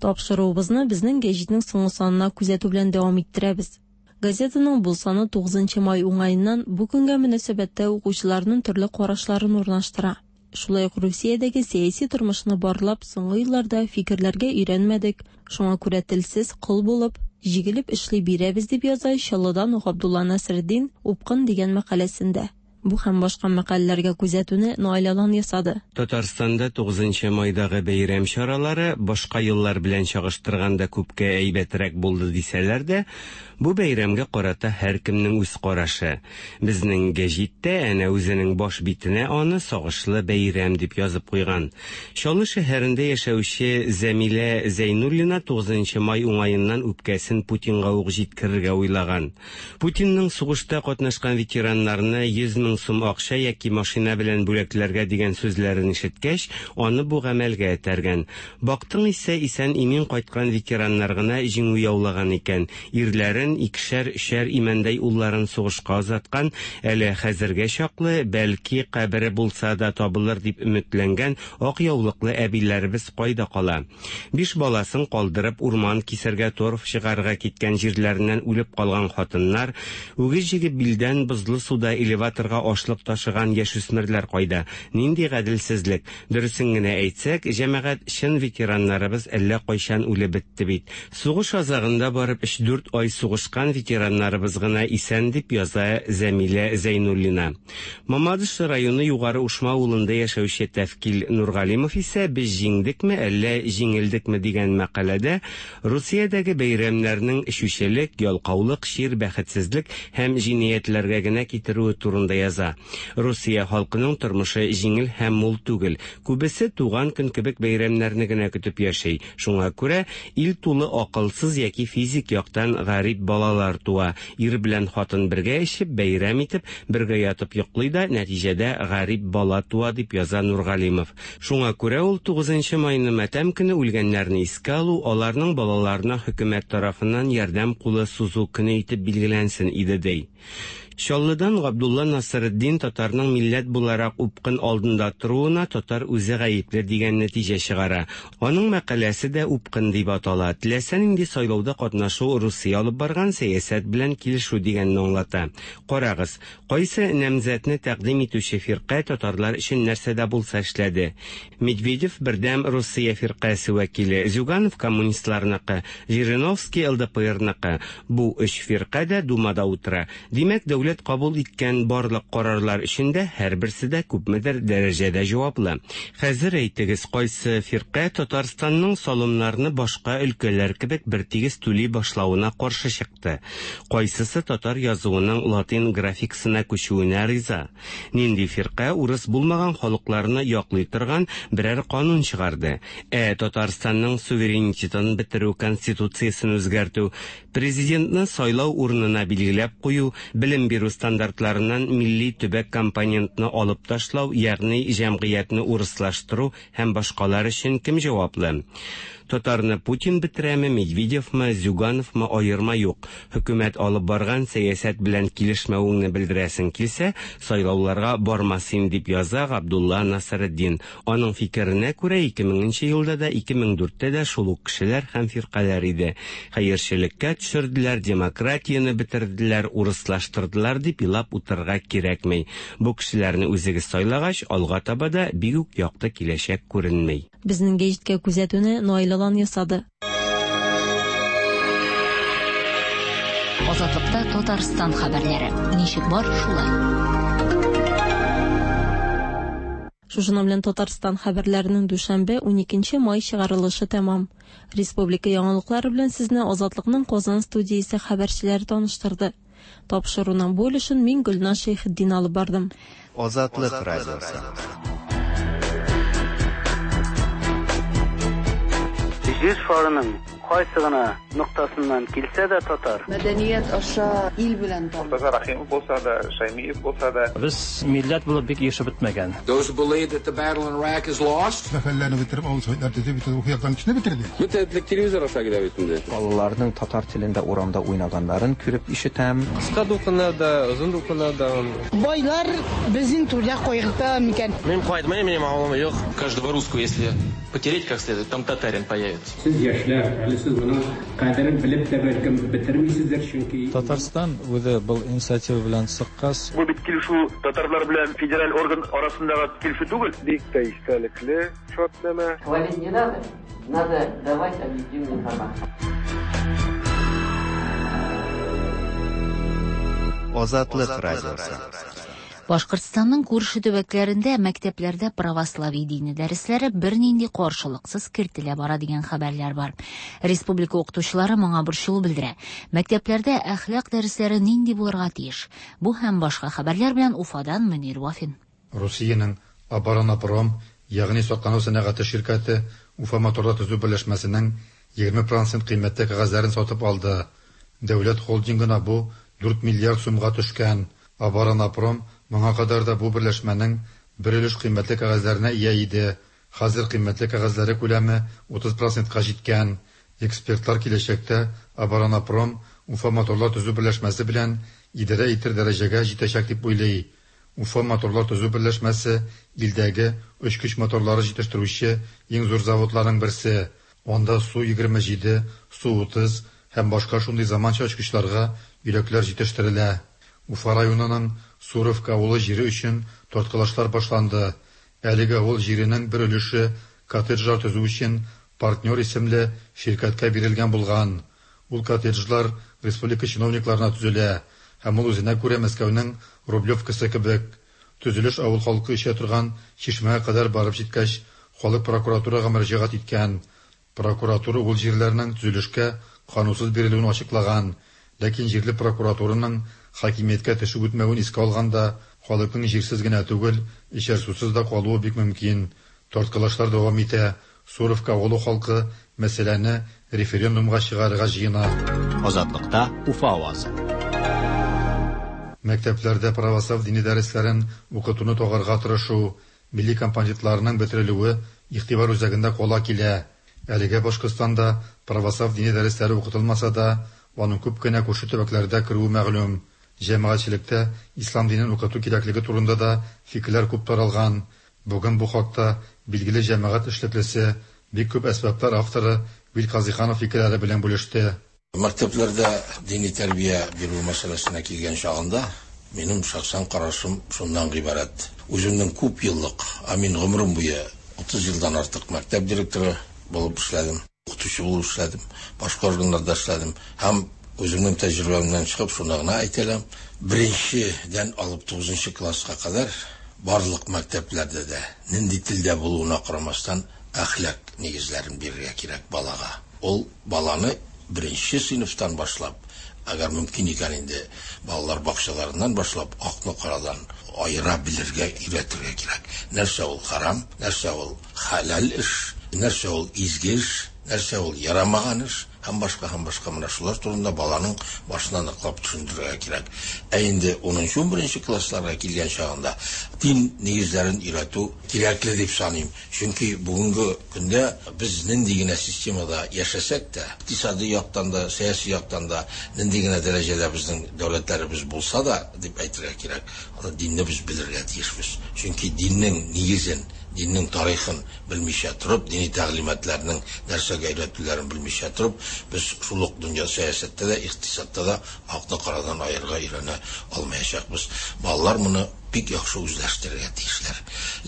Тапшыруыбызны безнең гәҗитнең соңгы санына күзәтү белән дәвам иттерәбез. Газетаның бу саны 9 май уңаеннан бу көнгә мөнәсәбәттә укучыларның төрле карашларын урнаштыра. Шулай ук Русиядәге сәяси тормышны барлап, соңгы елларда фикерләргә өйрәнмәдек, шуңа күрә телсез кол булып, җигелеп эшли бирәбез дип яза Чаллыдан Габдулла Насретдин Упкын дигән мәкаләсендә. Бу һәм башка мәкаләләргә күзәтүне Наил Алан ясады. Татарстанда 9 майдагы бәйрәм чаралары башка еллар белән чагыштырганда күпкә әйбәтрәк булды дисәләр дә, бу бәйрәмгә карата һәркемнең үз карашы. Безнең гәҗиттә әнә үзенең баш битенә аны сагышлы бәйрәм дип язып куйган. Чаллы шәһәрендә яшәүче Зәмилә Зәйнуллина 9 май уңаеннан үпкәсен Путинга ук җиткерергә уйлаган. Путинның сугышта катнашкан ветераннарны 100 мең сум акча яки машина белән бүләкләргә дигән сүзләрен ишеткәч, аны бу гамәлгә этәргән. Бактың исә исән имин кайткан ветераннар гына җиңү яулаган икән. Ирләрен икешәр-өчәр имәндәй улларын сугышка озаткан, әле хәзергә чаклы, бәлки кабере булса да табылыр дип өметләнгән ак яулыклы әбиләребез кайда кала? 5 баласын калдырып урман кисәргә, торф чыгарырга киткән җирләреннән үлеп калган хатыннар, үгез җигеп билдән бозлы суда элеваторга ашлык ташыган яшүсмерләр кайда? Нинди гаделсезлек? Дөресен генә әйтсәк, җәмәгать, чын ветераннарыбыз әллә кайчан үлеп бетте бит. Сугыш азагында барып 3-4 ай сугышкан ветераннарыбыз гына исән дип яза Зәмилә Зәйнуллина. Мамадыш районы Югары Ушма авылында яшәүче Тәфкил Нургалимов исә без җиңдекме, әллә җиңелдекме дигән мәкаләдә Русиядәге бәйрәмнәрнең эчүчелек, ялкаулык, чир, бәхетсезлек һәм җинаятьләргә генә китерүе турында яза. яза. Русия халкының тормышы җиңел һәм мул түгел. Күбесе туган көн кебек бәйрәмнәрне генә көтеп яши. Шуңа күрә ил тулы акылсыз яки физик яктан гарип балалар туа. Ир белән хатын бергә эчеп, бәйрәм итеп, бергә ятып йоклый да, нәтиҗәдә гарип бала туа, дип яза Нургалимов. Шуңа күрә ул 9 майны матәм көне үлгәннәрне искә алу, аларның балаларына хөкүмәт тарафыннан ярдәм кулы сузу көне итеп билгеләнсен иде, ди. Чаллыдан Габдулла Насретдин татарның милләт буларак упкын алдында торуына татар үзе гаепле дигән нәтиҗә чыгара. Аның мәкаләсе дә Упкын дип атала. Теләсә нинди сайлауда катнашу Русия алып барган сәясәт белән килешү дигәнне аңлата. Карагыз, кайсы намзәтне тәкъдим итүче фиркә татарлар өчен нәрсә дә булса эшләде? Медведев Бердәм Русия фиркасе вәкиле, Зюганов коммунистларныкы, Жириновский ЛДПРныкы. Бу өч фирка дә Думада утыра. Димәк, дәүләт кабул иткән барлык карарлар өчен дә һәрберсе дә күпмедер дәрәҗәдә җаваплы. Хәзер әйтегез, кайсы фирка Татарстанның салымнарны башка өлкәләр кебек бертигез түли башлавына каршы чыкты? Кайсысы татар язуының латин графикасына күчүенә риза? Нинди фирка урыс булмаган халыкларны яклый торган берәр канун чыгарды? Ә Татарстанның суверенитетын бетерү, конституциясен үзгәртү, Президентны сайлау урынына билгеләп кую, белем бирү стандартларыннан милли төбәк компонентны алып ташлау, ягъни җәмгыятьне урыслаштыру һәм башкалар өчен кем җаваплы? Татарны Путин бетерәме, Медведевмы, Зюгановмы, аерма юк. Хөкүмәт алып барган сәясәт белән килешмәвеңне белдерәсең килсә, сайлауларга барма син, дип яза Габдулла Насретдин. Аның фикеренә күрә, 2000 нче елда да, 2004 тә дә шул ук кешеләр һәм фиркаләр иде. Хәерчелеккә төшерделәр, демократияне бетерделәр, урыслаштырдылар дип елап утырырга кирәкми. Бу кешеләрне үзегез сайлагач, алга таба да бик үк якты киләчәк күренми. Безнең гәҗиткә күзәтүне Наил Алан ясады. Азатлыкта Татарстан хәбәрләре. Ничек бар, шулай. Шушының белән Татарстан хәбәрләренең дүшәмбе, 12 май чыгарылышы тәмам. Республика яңалыклары белән сезне Азатлыкның Казан студиясе хәбәрчеләре таныштырды. Тапшыруның бу өлешен мин Гөлназ Шәйхетдин алып бардым. Азатлык радиосы. Җир шарының кайсы гына ноктасыннан килсә дә татар. Мәдәният аша ил белән таныш. Мортаза Рәхимов булса да, Шәймиев булса да. Без милләт булып бик ирешеп бетмәгән. Those who believe that the battle in Iraq is lost. Мәхәлләне бетереп, авыл советлар төзеп, бөтен рухи яктан кешене бетерде. Бөтен телевизор аша килә бит инде. Балаларның татар телендә урамда уйнаганнарын күреп ишетәм. Кыска дулкыннар да, озын дулкыннар да. Байлар безнең түрдә кайгырта микән? Мин кайтмыйм, минем авылым юк. Каждого русского, если потереть как следует, там татарин появится. Сез яшьләр, әле сез моның кадерен белеп тә бәлкем бетермисездер, чөнки. Татарстан үзе был инициатива белән чыккач. Бу бит килешү татарлар белән федераль орган арасындагы килешү түгел. Бик тә истәлекле шартнамә. Хвалить не надо, надо давать объективную информацию. Азатлык радиосы. Башкортстанның күрше төбәкләрендә мәктәпләрдә православие дине дәресләре бернинди каршылыксыз кертелә бара дигән хәбәрләр бар. Республика укытучылары моңа борчылу белдерә. Мәктәпләрдә әхлак дәресләре нинди булырга тиеш? Бу һәм башка хәбәрләр белән Уфадан Мөнир Вафин. Русиянең Оборонапром, ягъни саклану сәнәгате ширкәте Уфа моторлар төзү берләшмәсенең 20 процент кыйммәтле кәгазьләрен сатып алды. Дәүләт холдингына бу 4 миллиард сумга төшкән. Оборонапром моңа кадәр дә бу берләшмәнең бер өлеш кыйммәтле кәгазьләренә ия иде. Хәзер кыйммәтле кәгазьләре күләме 30 процентка җиткән. Экспертлар киләчәктә Оборонапром Уфа моторлар төзү берләшмәсе белән идарә итер дәрәҗәгә җитәчәк дип уйлый. Уфа моторлар төзү берләшмәсе илдәге очкыч моторлары җитештерүче иң зур заводларның берсе. Анда Су-27, Су-30 һәм башка шундый заманча очкычларга йөрәкләр җитештерелә. Уфа районының Суровка авылы җире өчен тарткалашлар башланды. Әлеге авыл җиренең бер өлеше коттеджлар төзү өчен Партнер исемле ширкәткә бирелгән булган. Ул коттеджлар республика чиновникларына төзелә һәм ул үзенә күрә Мәскәүнең Рублевкасы кебек. Төзелеш авыл халкы эчә торган чишмәгә кадәр барып җиткәч, халык прокуратурага мөрәҗәгать иткән. Прокуратура ул җирләрнең төзелешкә канунсыз бирелүен ачыклаган, ләкин җирле прокуратураның хакимияткә төшеп үтмәвен искә алганда, Халыкның җирсез генә түгел, эчәр сусыз да калуы бик мөмкин. Тарткалашлар дәвам итә. Суровка авылы халкы мәсьәләне референдумга чыгарырга җыена. Азатлыкта Уфа авазы. Мәктәпләрдә православ дини дәресләрен укытуны тагарга тырышу, милли компонентларының бетерелүе игътибар үзәгендә кала килә. Әлегә Башкортстанда православ дини дәресләре укытылмаса да, аның күп кенә күрше төбәкләрдә керүе мәгълүм. Җәмәгатьчелектә ислам динен укыту кирәклеге турында да фикерләр күп таралган. Бүген бу хакта билгеле җәмәгать эшлеклесе, бик күп әсбаплар авторы Вил Казыйханов фикерләре белән бүлеште. Мәктәпләрдә дини тәрбия бирү мәсьәләсенә килгән чагында, минем шәхсән карашым шуннан гыйбарәт. Үземнең күп еллык, ә мин гомерем буе 30 елдан артык мәктәп директоры булып эшләдем, укытучы булып эшләдем, башка органнарда эшләдем һәм үземнең тәҗрибәмнән чыгып шуны гына әйтә алам, беренчедән алып тугызынчы класска кадәр барлык мәктәпләрдә дә, нинди телдә булуына карамастан, әхлак нигезләрен бирергә кирәк балага. Ул баланы беренче сыйныфтан башлап, әгәр мөмкин икән инде, балалар бакчаларыннан башлап акны карадан аера белергә өйрәтергә кирәк. Нәрсә ул харам, нәрсә ул хәләл эш, нәрсә ул изге эш, нәрсә ул ярамаган эш һәм башка һәм башка менә шулар турында баланың башына ныклап төшендерергә кирәк. Ә инде 10-11 классларга килгән чагында дин нигезләрен өйрәтү кирәкле дип саныйм. Чөнки бүгенге көндә без нинди генә системада яшәсәк тә, икътисади яктан да, сәяси яктан да нинди генә дәрәҗәдә безнең дәүләтләребез булса да, дип әйтергә кирәк, аны динне без белергә тиешбез. Чөнки диннең нигезен, диннең тарихын белмичә торып, дини тәгълиматларның нәрсәгә өйрәтүләрен белмичә торып, без шул ук дөнья сәясәттә дә, икътисадта да акны карадан аерырга өйрәнә алмаячакбыз. Балалар моны бик яхшы үзләштерергә тиешләр.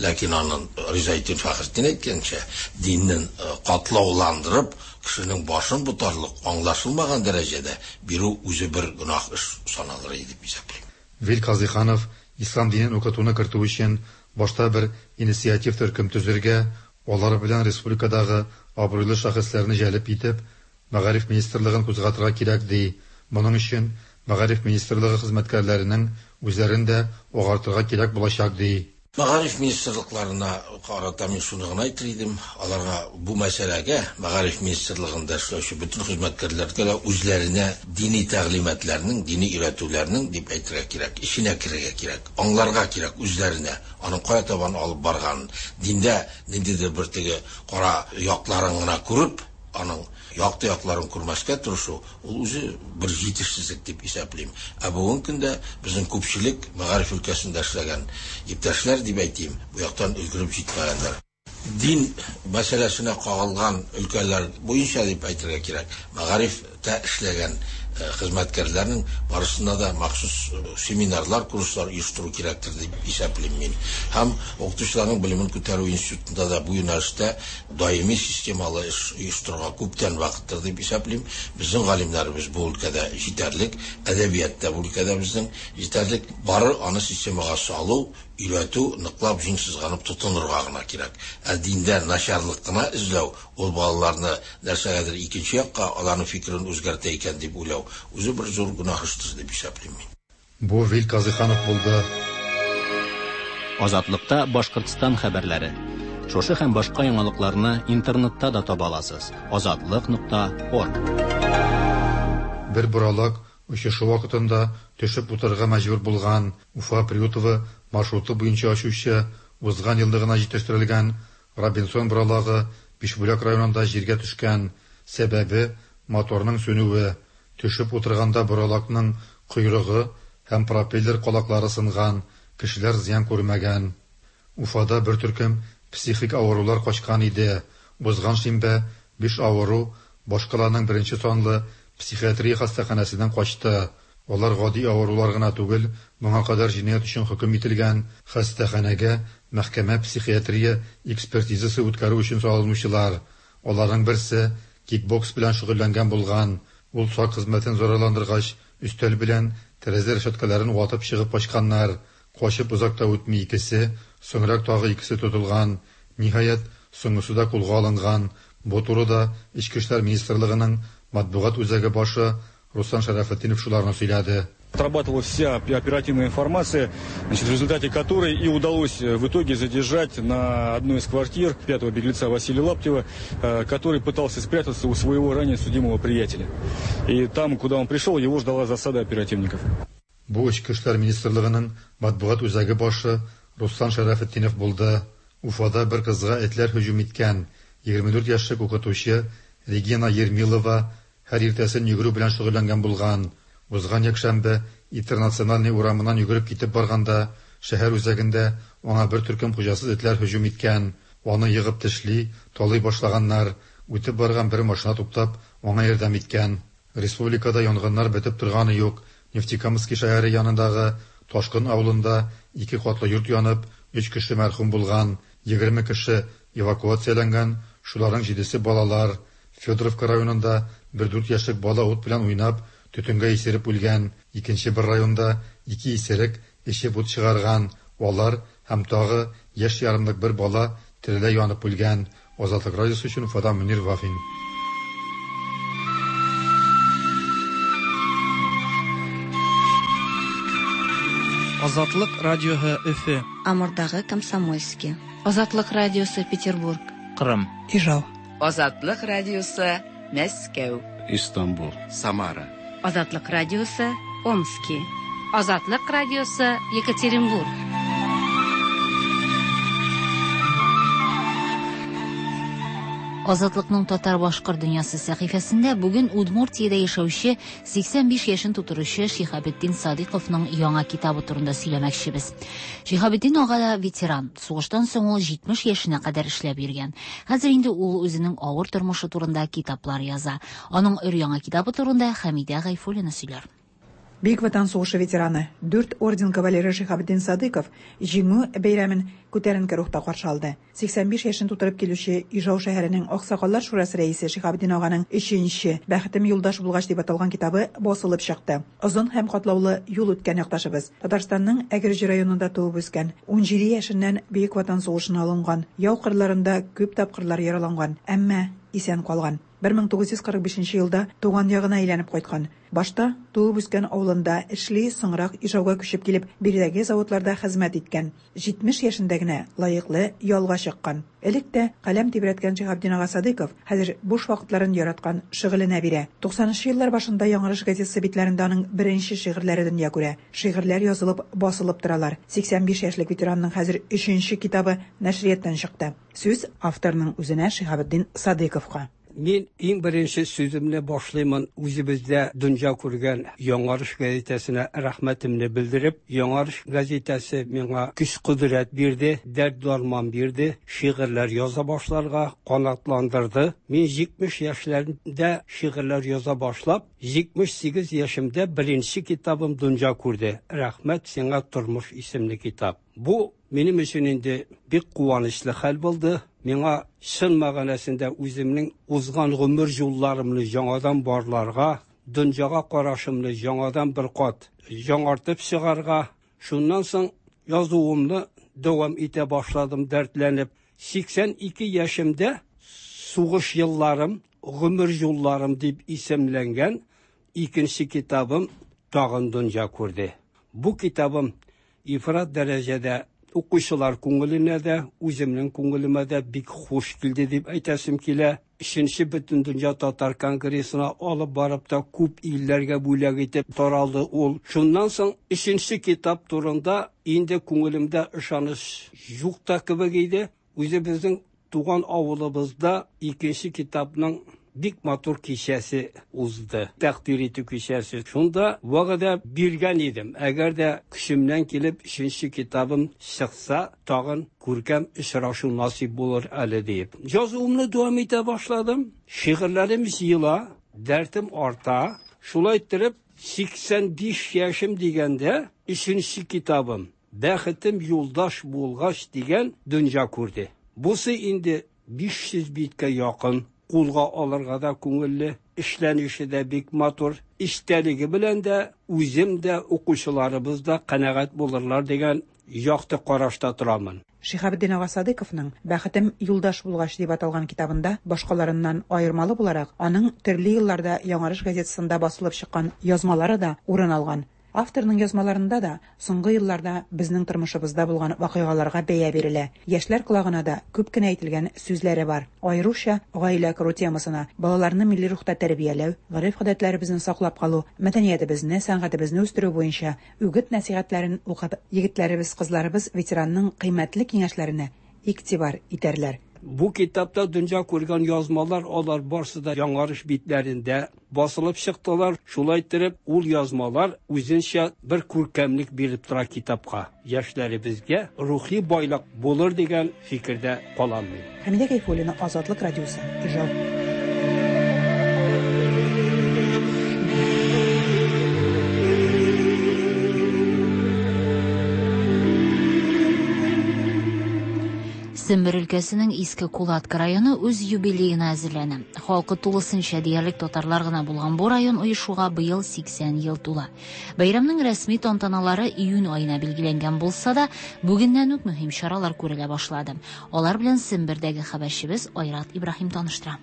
Ләкин аның Ризаэтдин Фәхретдин әйткәнчә, диннең катлауландырып, кешенең башын ботарлык, аңлашылмаган дәрәҗәдә бирү үзе бер гөнаһ эш саналыр иде дип исәплим. Вил Казыйханов ислам динен укытуны кертү өчен башта бер инициатив төркем төзергә, алар белән республикадагы абруйлы шәхесләрне җәлеп итеп, Мәгариф министрлыгын кузгатырга кирәк ди. Моның өчен Мәгариф министрлыгы хезмәткәрләренең үзләрен дә агартырга кирәк булачак ди. Мәгариф министрлыкларына карата мин шуны гына әйтер идем, аларга бу мәсьәләгә Мәгариф министрлыгында эшләүче бөтен хезмәткәрләргә дә үзләренә дини тәгълиматларның, дини өйрәтүләрнең дип әйтергә кирәк, эченә керергә кирәк, аңларга кирәк үзләренә, аның кая табан алып барганын, диндә ниндидер бер теге кара якларын гына күреп, аның якты якларын күрмәскә тырышу, ул үзе бер җитешсезлек дип исәплим. Ә бүгенге көндә безнең күпчелек мәгариф өлкәсендә эшләгән иптәшләр дип әйтим, бу яктан өлгереп җитмәгәннәр. Дин мәсьәләсенә кагылган өлкәләр буенча дип әйтергә кирәк, мәгарифтә эшләгән хезмәткәрләрнең барысына да махсус семинарлар, курслар оештыру кирәктер дип исәплим мин. Һәм укытучыларның белемен күтәрү институтында да бу юнәлештә даими системалы эш оештырырга күптән вакыттыр дип исәплим. Безнең галимнәребез бу өлкәдә җитәрлек, әдәбиятта бу өлкәдә безнең җитәрлек. Бары аны системага салу, өйрәтү, ныклап җиң сызганып тотынырга гына кирәк. Ә диндә начарлык кына эзләү, ул балаларны нәрсәгәдер икенче якка, аларның фикерен үзгәртә икән дип уйлау, үзе бер зур гөнаһ эштер дип исәплим мин. Бу Вил Казыйханов булды. Азатлыкта Башкортстан хәбәрләре. Шушы һәм башка яңалыкларны интернетта да таба аласыз. Азатлык.орг. Бер боралак очышы вакытында төшеп утырырга мәҗбүр булган Уфа Приютово маршруты буенча очучы узган елда гына җитештерелгән Робинсон боралагы Бишбүләк районында җиргә төшкән. Сәбәбе моторның сүнүе. Төшеп утырганда боралакның койрыгы һәм пропеллер калаклары сынган, кешеләр зыян күрмәгән. Уфада бер төркем психик авырулар качкан иде. Узган шимбә 5 авыру башкаланың беренче санлы психиатрия хастаханәсеннән качты. Алар гади авырулар гына түгел, моңа кадәр җинаять өчен хөкем ителгән, хастаханәгә мәхкәмә психиатрия экспертизасы үткәрү өчен салынучылар. Аларның берсе кикбокс белән шөгыльләнгән булган. Ул сак хезмәтен зарарландыргач, өстәл белән тәрәзә решеткаларын ватып чыгып качканнар. Качып озак та үтми икесе, соңрак тагы икесе тотылган. Ниһаять, соңгысы да кулга алынган. Бу турыда Эчке эшләр министрлыгының матбугат үзәге башы Руслан Шәрәфетдинов шуларны сөйләде. Отрабатывалась вся оперативная информация, значит, в результате которой и удалось в итоге задержать на одной из квартир пятого беглеца Василия Лаптева, который пытался спрятаться у своего ранее судимого приятеля. И там, куда он пришел, его ждала засада оперативников. Бу Эчке эшләр министрлыгының матбугат үзәге башы Руслан Шәрәфетдинов булды. Уфада бер кызга этләр һөҗүм иткән. 24 яшьлек укытучы Регина Ермилова һәр иртәсен йөгерү белән шөгыльләнгән булган. Узган якшәмбе Интернациональный урамыннан йөгереп китеп барганда, шәһәр үзәгендә аңа бер төркем хуҗасыз этләр һөҗүм иткән. Аны егып тешли, талый башлаганнар. Үтеп барган бер машина туктап, аңа ярдәм иткән. Республикада янгыннар бетеп торганы юк. Нефтекамски шәһәре янындагы Ташкын авылында ике катлы йорт янып, өч кеше мәрхүм булган, 20 кеше эвакуацияләнгән, шуларның җидесе балалар. Федоровка районында бер дүрт яшьлек бала ут белән уйнап, төтенгә исереп үлгән. Икенче бер районда ике исерек эчеп ут чыгарган. Алар һәм тагы яшь ярымлык бер бала тереләй янып үлгән. Азатлык радиосы өчен Уфадан Мөнир Вафин. Азатлык радиоһы Өфе. Амурдагы Комсомольски. Азатлык радиосы Петербург. Кырым. Ижау. Азатлык радиосы Мәскәү. Истанбул. Самара. Азатлык радиосы Омски. Азатлык радиосы Екатеринбург. Азатлыкның татар-башкорт дөньясы сәхифәсендә бүген Удмуртиядә яшәүче 85 яшен тутыручы Шиһабетдин Садыйковның яңа китабы турында сөйләмәкчебез. Шиһабетдин ага да ветеран. Сугыштан соң ул 70 яшенә кадәр эшләп йөргән. Хәзер инде ул үзенең авыр тормышы турында китаплар яза. Аның өр-яңа китабы турында Хәмидә Гайфуллина сөйләр. Бөек Ватан сугышы ветераны, дүрт орден кавалеры Шиһабетдин Садыйков Җиңү бәйрәмен күтәренке рухта каршы алды. 85 яшен тутырып килүче Ижау шәһәренең Аксакаллар шурасы рәисе Шиһабетдин аганың өченче Бәхетем юлдаш булгач дип аталган китабы басылып чыкты. Озын һәм катлаулы юл үткән якташыбыз Татарстанның Әгерҗе районында туып үскән. 17 яшеннән Бөек Ватан сугышына алынган, яу кырларында күп тапкырлар яраланган, әмма исән калган. 1945 нче елда туган ягына әйләнеп кайткан. Башта туып үскән авылында эшли, соңрак Ижауга күчеп килеп, биредәге заводларда хезмәт иткән. 70 яшендә генә лаеклы ялга чыккан. Элек тә каләм тибрәткән Шиһабетдин ага Садыйков хәзер буш вакытларын яраткан шөгыленә бирә. 90 нчы еллар башында Яңарыш газетасы битләрендә аның беренче шигырьләре дөнья күрә. Шигырьләр язылып, басылып торалар. 85 яшьлек ветеранның хәзер өченче китабы нәшрияттан чыкты. Сүз авторның үзенә Шиһабетдин Садыйковка. Мин иң беренче сүземне башлыймын үзебездә дөнья күргән Яңарыш газетасына рәхмәтемне белдереп. Яңарыш газетасы миңа көч-кодрәт бирде, дәрт-дарман бирде, шигырьләр яза башларга канатландырды. Мин 70 яшьләремдә шигырьләр яза башлап, 78 яшемдә беренче китабым дөнья күрде. Рәхмәт сиңа, тормыш исемле китап. Бу минем өчен инде бик куанычлы хәл булды. Миңа чын мәгънәсендә үземнең узган гомер юлларымны яңадан барларга, дөньяга карашымны яңадан бер кат яңартып чыгарга, шуннан соң язуымны дәвам итә башладым дәртләнеп. 82 яшемдә Сугыш елларым, гомер юлларым дип исемләнгән икенче китабым тагын дөнья күрде. Бу китабым ифрат дәрәҗәдә укучылар күңеленә дә, үземнең күңелемә дә бик хуш килде дип әйтәсем килә. Өченче Бөтендөнья татар конгрессына алып барып та күп илләргә бүләк итеп таралды ул. Шуннан соң өченче китап турында инде күңелемдә ышаныч юк та кебек иде. Үзебезнең туган авылыбызда икенче китапның бик матур кичәсе узды. Тәкъдир итү кичәсе. Шунда вәгъдә биргән идем. Әгәр дә көчемнән килеп өченче китабым чыкса, тагын күркәм очрашу насыйп булыр әле диеп. Язуымны дәвам итә башладым. Шигырьләрем җыела, дәртем арта. Шулай иттереп, 85 яшем дигәндә өченче китабым Бәхетем юлдаш булгач дигән дөнья күрде. Бусы инде 500 биткә якын, кулга алырга да күңелле, эшләнеше дә бик матур, эчтәлеге белән дә үзем дә, укучыларыбыз да канәгать булырлар дигән якты карашта торамын. Шиһабетдин ага Садыйковның Бәхетем юлдаш булгач дип аталган китабында, башкаларыннан аермалы буларак, аның төрле елларда Яңарыш газетасында басылып чыккан язмалары да урын алган. Авторның язмаларында да соңгы елларда безнең тормышыбызда булган вакыйгаларга бәя бирелә. Яшьләр колагына да күп кенә әйтелгән сүзләре бар. Аеруча гаилә кору темасына, балаларны милли рухта тәрбияләү, гореф-гадәтләребезне саклап калу, мәдәниятебезне, сәнгатебезне үстерү буенча үгет-нәсыйхәтләрен укып, егетләребез, кызларыбыз ветеранның кыйммәтле киңәшләренә игътибар итәрләр. Бу китапта дөнья күргән язмалар алар барсы да Яңарыш битләрендә басылып чыктылар. Шулай иттереп, ул язмалар үзенчә бер күркәмлек биреп тора китапка. Яшьләребезгә рухи байлык булыр дигән фикердә калам мин. Хәмидә Гайфуллина, Азатлык радиосы, Ижау. Сембер өлкәсенең Иске Кулатка районы үз юбилеена әзерләнә. Халкы тулысынча диярлек татарлар гына булган бу район оешуга быел 80 ел тула. Бәйрәмнең рәсми тантаналары июнь аена билгеләнгән булса да, бүгеннән үк мөһим чаралар күрелә башлады. Алар белән Сембердәге хәбәрчебез Айрат Ибраһим таныштыра.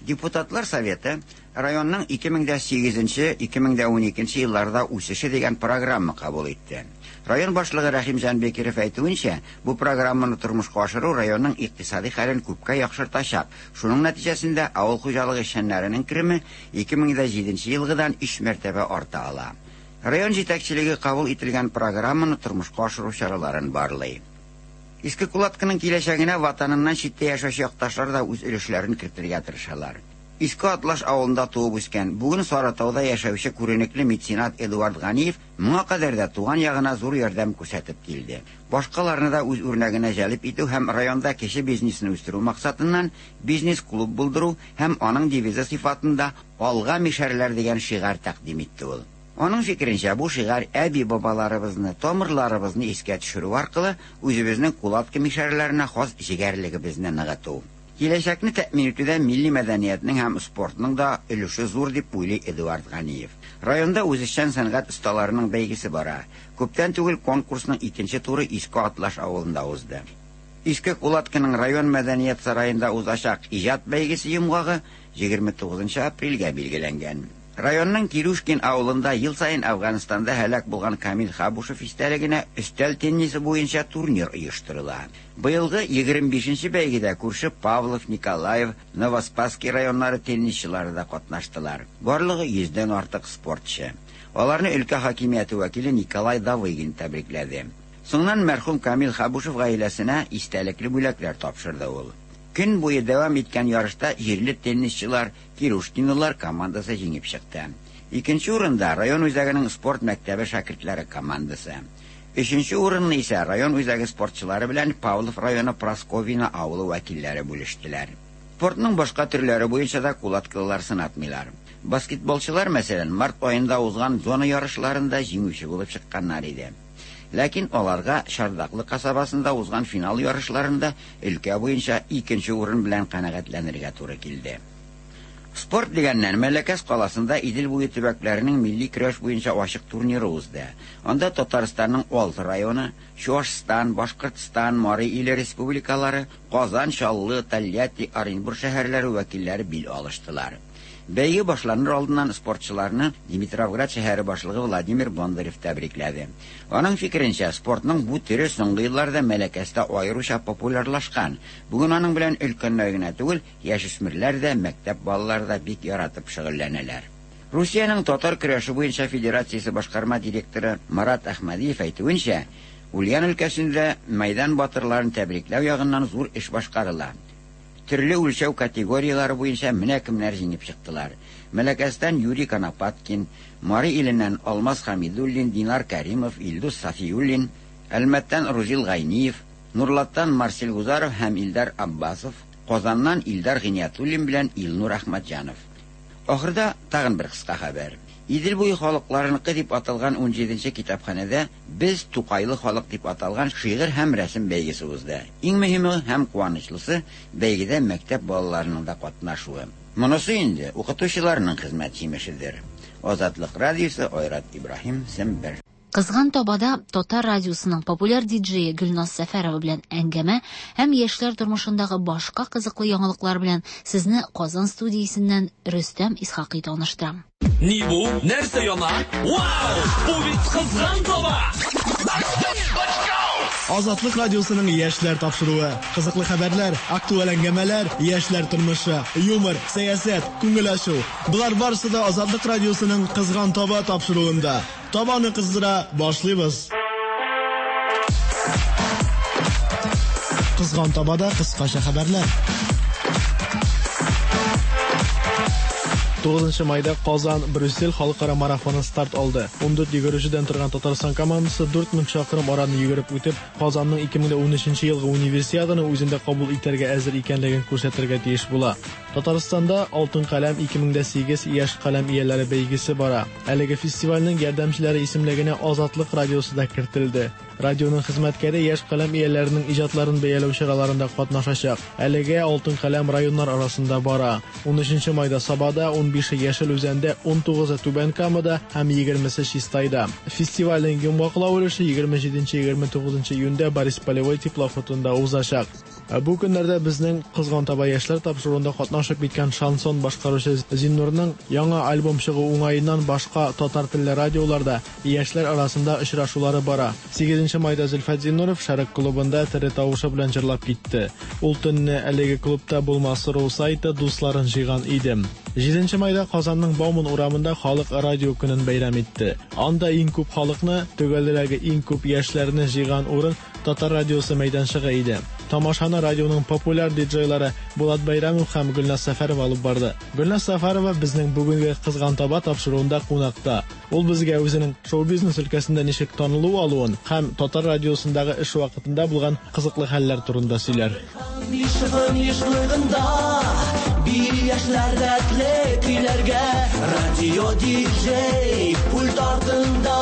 Депутатлар Советы районның 2008-2012 елларда үсеше дигән программа кабул итте. Район башлыгы Рәхимҗан Бекиров әйтүенчә, бу программаны тормышка ашыру районның икътисади хәлен күпкә яхшыртачак. Шуның нәтиҗәсендә авыл хуҗалыгы эшчәннәренең кереме 2007 елгыдан өч мәртәбә арта ала. Район җитәкчелеге кабул ителгән программаны тормышка ашыру чараларын барлый. Иске Кулаткының киләчәгенә ватаныннан читтә яшәүче якташлар да үз өлешләрен кертергә тырышалар. Иске Атлаш авылында туып үскән, бүген Сарытауда яшәүче күренекле меценат Эдуард Ганиев моңа кадәр дә туган ягына зур ярдәм күрсәтеп килде. Башкаларны да үз үрнәгенә җәлеп итү һәм районда кече бизнесны үстерү максатыннан бизнес-клуб булдыру һәм аның девизы сыйфатында Алга, мишәрләр дигән шигарь тәкъдим итте ул. Аның фикеренчә, бу шигарь әби-бабаларыбызны, тамырларыбызны искә төшерү аркылы үзебезнең Кулатка мишәрләренә хас җегәрлегебезне ныгыту. Киләчәкне тәэмин итүдә милли мәдәниятнең һәм спортның да өлеше зур, дип уйлый Эдуард Ганиев. Районда үзешчән сәнгать осталарының бәйгесе бара. Күптән түгел конкурсның икенче туры Иске Атлаш авылында узды. Иске Кулатканың район мәдәният сараенда узачак иҗат бәйгесе йомгагы 29 апрельгә билгеләнгән. Районның Кирюшкин авылында ел саен Әфганстанда һәлак булган Камил Хабушев истәлегенә өстәл теннисы буенча турнир оештырыла. Быелгы 25 нче бәйгедә күрше Павлов, Николаев, Новоспасский районнары теннисчылары да катнаштылар. Барлыгы йөздән артык спортчы. Аларны өлкә хакимияте вәкиле Николай Давыгин тәбрикләде. Соңыннан мәрхүм Камил Хабушев гаиләсенә истәлекле бүләкләр тапшырды ул. Көн буе дәвам иткән ярышта җирле теннисчылар, Кирушкинлылар командасы җиңеп чыкты. Икенче урында, район үзәгенең спорт мәктәбе шәкертләре командасы. Өченче урынны исә район үзәге спортчылары белән Павлов районы Прасковьино авылы вәкилләре бүлештеләр. Спортның башка төрләре буенча да кулаткылылар сынатмыйлар. Баскетболчылар, мәсәлән, март аенда узган зона ярышларында җиңүче булып чыкканнар иде. Ләкин аларга Чардаклы касабасында узган финал ярышларында өлкә буенча икенче урын белән канәгатьләнергә туры килде. Спорт дигәннән, Мәләкәс каласында Идел буе төбәкләренең милли көрәш буенча ачык турниры узды. Анда Татарстанның алты районы, Чуашстан, Башкортстан, Мари Иле республикалары, Казан, Чаллы, Тольятти, Оренбур шәһәрләре вәкилләре бил алыштылар. Бәйге башланыр алдыннан спортчыларны Димитровград шәһәре башлыгы Владимир Бондарев тәбрикләде. Аның фикеренчә, спортның бу төре соңгы елларда Мәләкәстә аеруча популярлашкан. Бүген аның белән өлкәннәр генә түгел, яшүсмерләр дә, мәктәп балалары да бик яратып шөгыльләнәләр. Русиянең татар көрәше буенча федерациясе башкарма директоры Марат Әхмәдиев әйтүенчә, Ульян өлкәсендә мәйдан батырларын тәбрикләү ягыннан зур эш башкарыла. Төрле үлчәү категорияләре буенча менә кемнәр җиңеп чыктылар, Мәләкәстән Юрий Конопаткин, Мари Иленнән Алмаз Хәмидуллин, Динар Кәримов, Илдус Сафиуллин, Әлмәттән Рузил Гайниев, Нурлаттан Марсель Гузаров һәм Илдар Аббасов, Казаннан Илдар Гыйниятуллин белән Илнур Әхмәтҗанов. Ахырда тагын бер кыска хәбәр. Идел буе халыкларыныкы дип аталган унҗиденче китапханәдә Без, Тукайлы халык дип аталган шигырь һәм рәсем бәйгесе узды. Иң мөһиме һәм куанычлысы, бәйгедә мәктәп балаларының да катнашуы. Монысы инде укытучыларның хезмәт җимешедер. Азатлык радиосы, Айрат Ибраһим, Сембер. Кызган табада Татар радиосының популяр диджее Гөлназ Сәфәрова белән әңгәмә һәм яшьләр тормышындагы башка кызыклы яңалыклар белән сезне Казан студиясеннән Рөстәм Исхакый таныштыра. Ни бу? Нәрсә яна? Вау! Бу бит кызган таба! Азатлык радиосының яшьләр тапшыруы. Кызыклы хәбәрләр, актуаль әңгәмәләр, яшьләр тормышы, юмор, сәясәт, күңел ачу. Болар барысы да Азатлык радиосының Кызган таба тапшыруында. Табаны кыздыра башлыйбыз. Кызган табада кыскача хәбәрләр. 9 майда Казан Брюссель халыкара марафоны старт алды. 14 йөгерүчедән торган Татарстан командасы 4000 чакрым араны йөгереп үтеп, Казанның 2013 елгы Универсиаданы үзендә кабул итәргә әзер икәнлеген күрсәтергә тиеш була. Татарстанда Алтын каләм 2008 яшь каләм ияләре бәйгесе бара. Әлеге фестивальнең ярдәмчеләре исемлегенә Азатлык радиосы да кертелде. Радионың хезмәткәре яшь каләм ияләренең иҗатларын бәяләү чараларында катнашачак. Әлегә Алтын каләм районнар арасында бара. 13 майда Сабада, 15-е Яшел Үзәндә, 19-ы Түбән Камада һәм 20-се Чистайда. Фестивальнең йомгаклау өлеше 27-29 июньдә Борис Полевой теплоходында узачак. Бу көннәрдә безнең Кызган таба яшьләр тапшыруында катнашып киткән шансон башкаручы Зиннурның яңа альбом чыгу уңаеннан башка татар телле радиоларда яшьләр арасында очрашулары бара. 8 майда Зөлфәт Зиннуров Шәрык клубында тере тавышы белән җырлап китте. Ул төнне әлеге клубта булмас.ру сайты дусларын җыйган иде. 7 майда Казанның Бауман урамында халык радио көнен бәйрәм итте. Анда иң күп халыкны, төгәлрәге иң күп яшьләрне җыйган урын Татар радиосы мәйданчыгы иде. Тамашаны радионың популяр диджейлары Булат Бәйрәмов һәм Гөлназ Сәфәрова алып барды. Гөлназ Сәфәрова безнең бүгенге Кызган таба тапшыруында кунакта. Ул безгә үзенең шоу-бизнес өлкәсендә ничек танылу алуын һәм Татар радиосындагы эш вакытында булган кызыклы хәлләр турында сөйләр. Яшьләр рәтле көйләргә, радио диджей пульт артында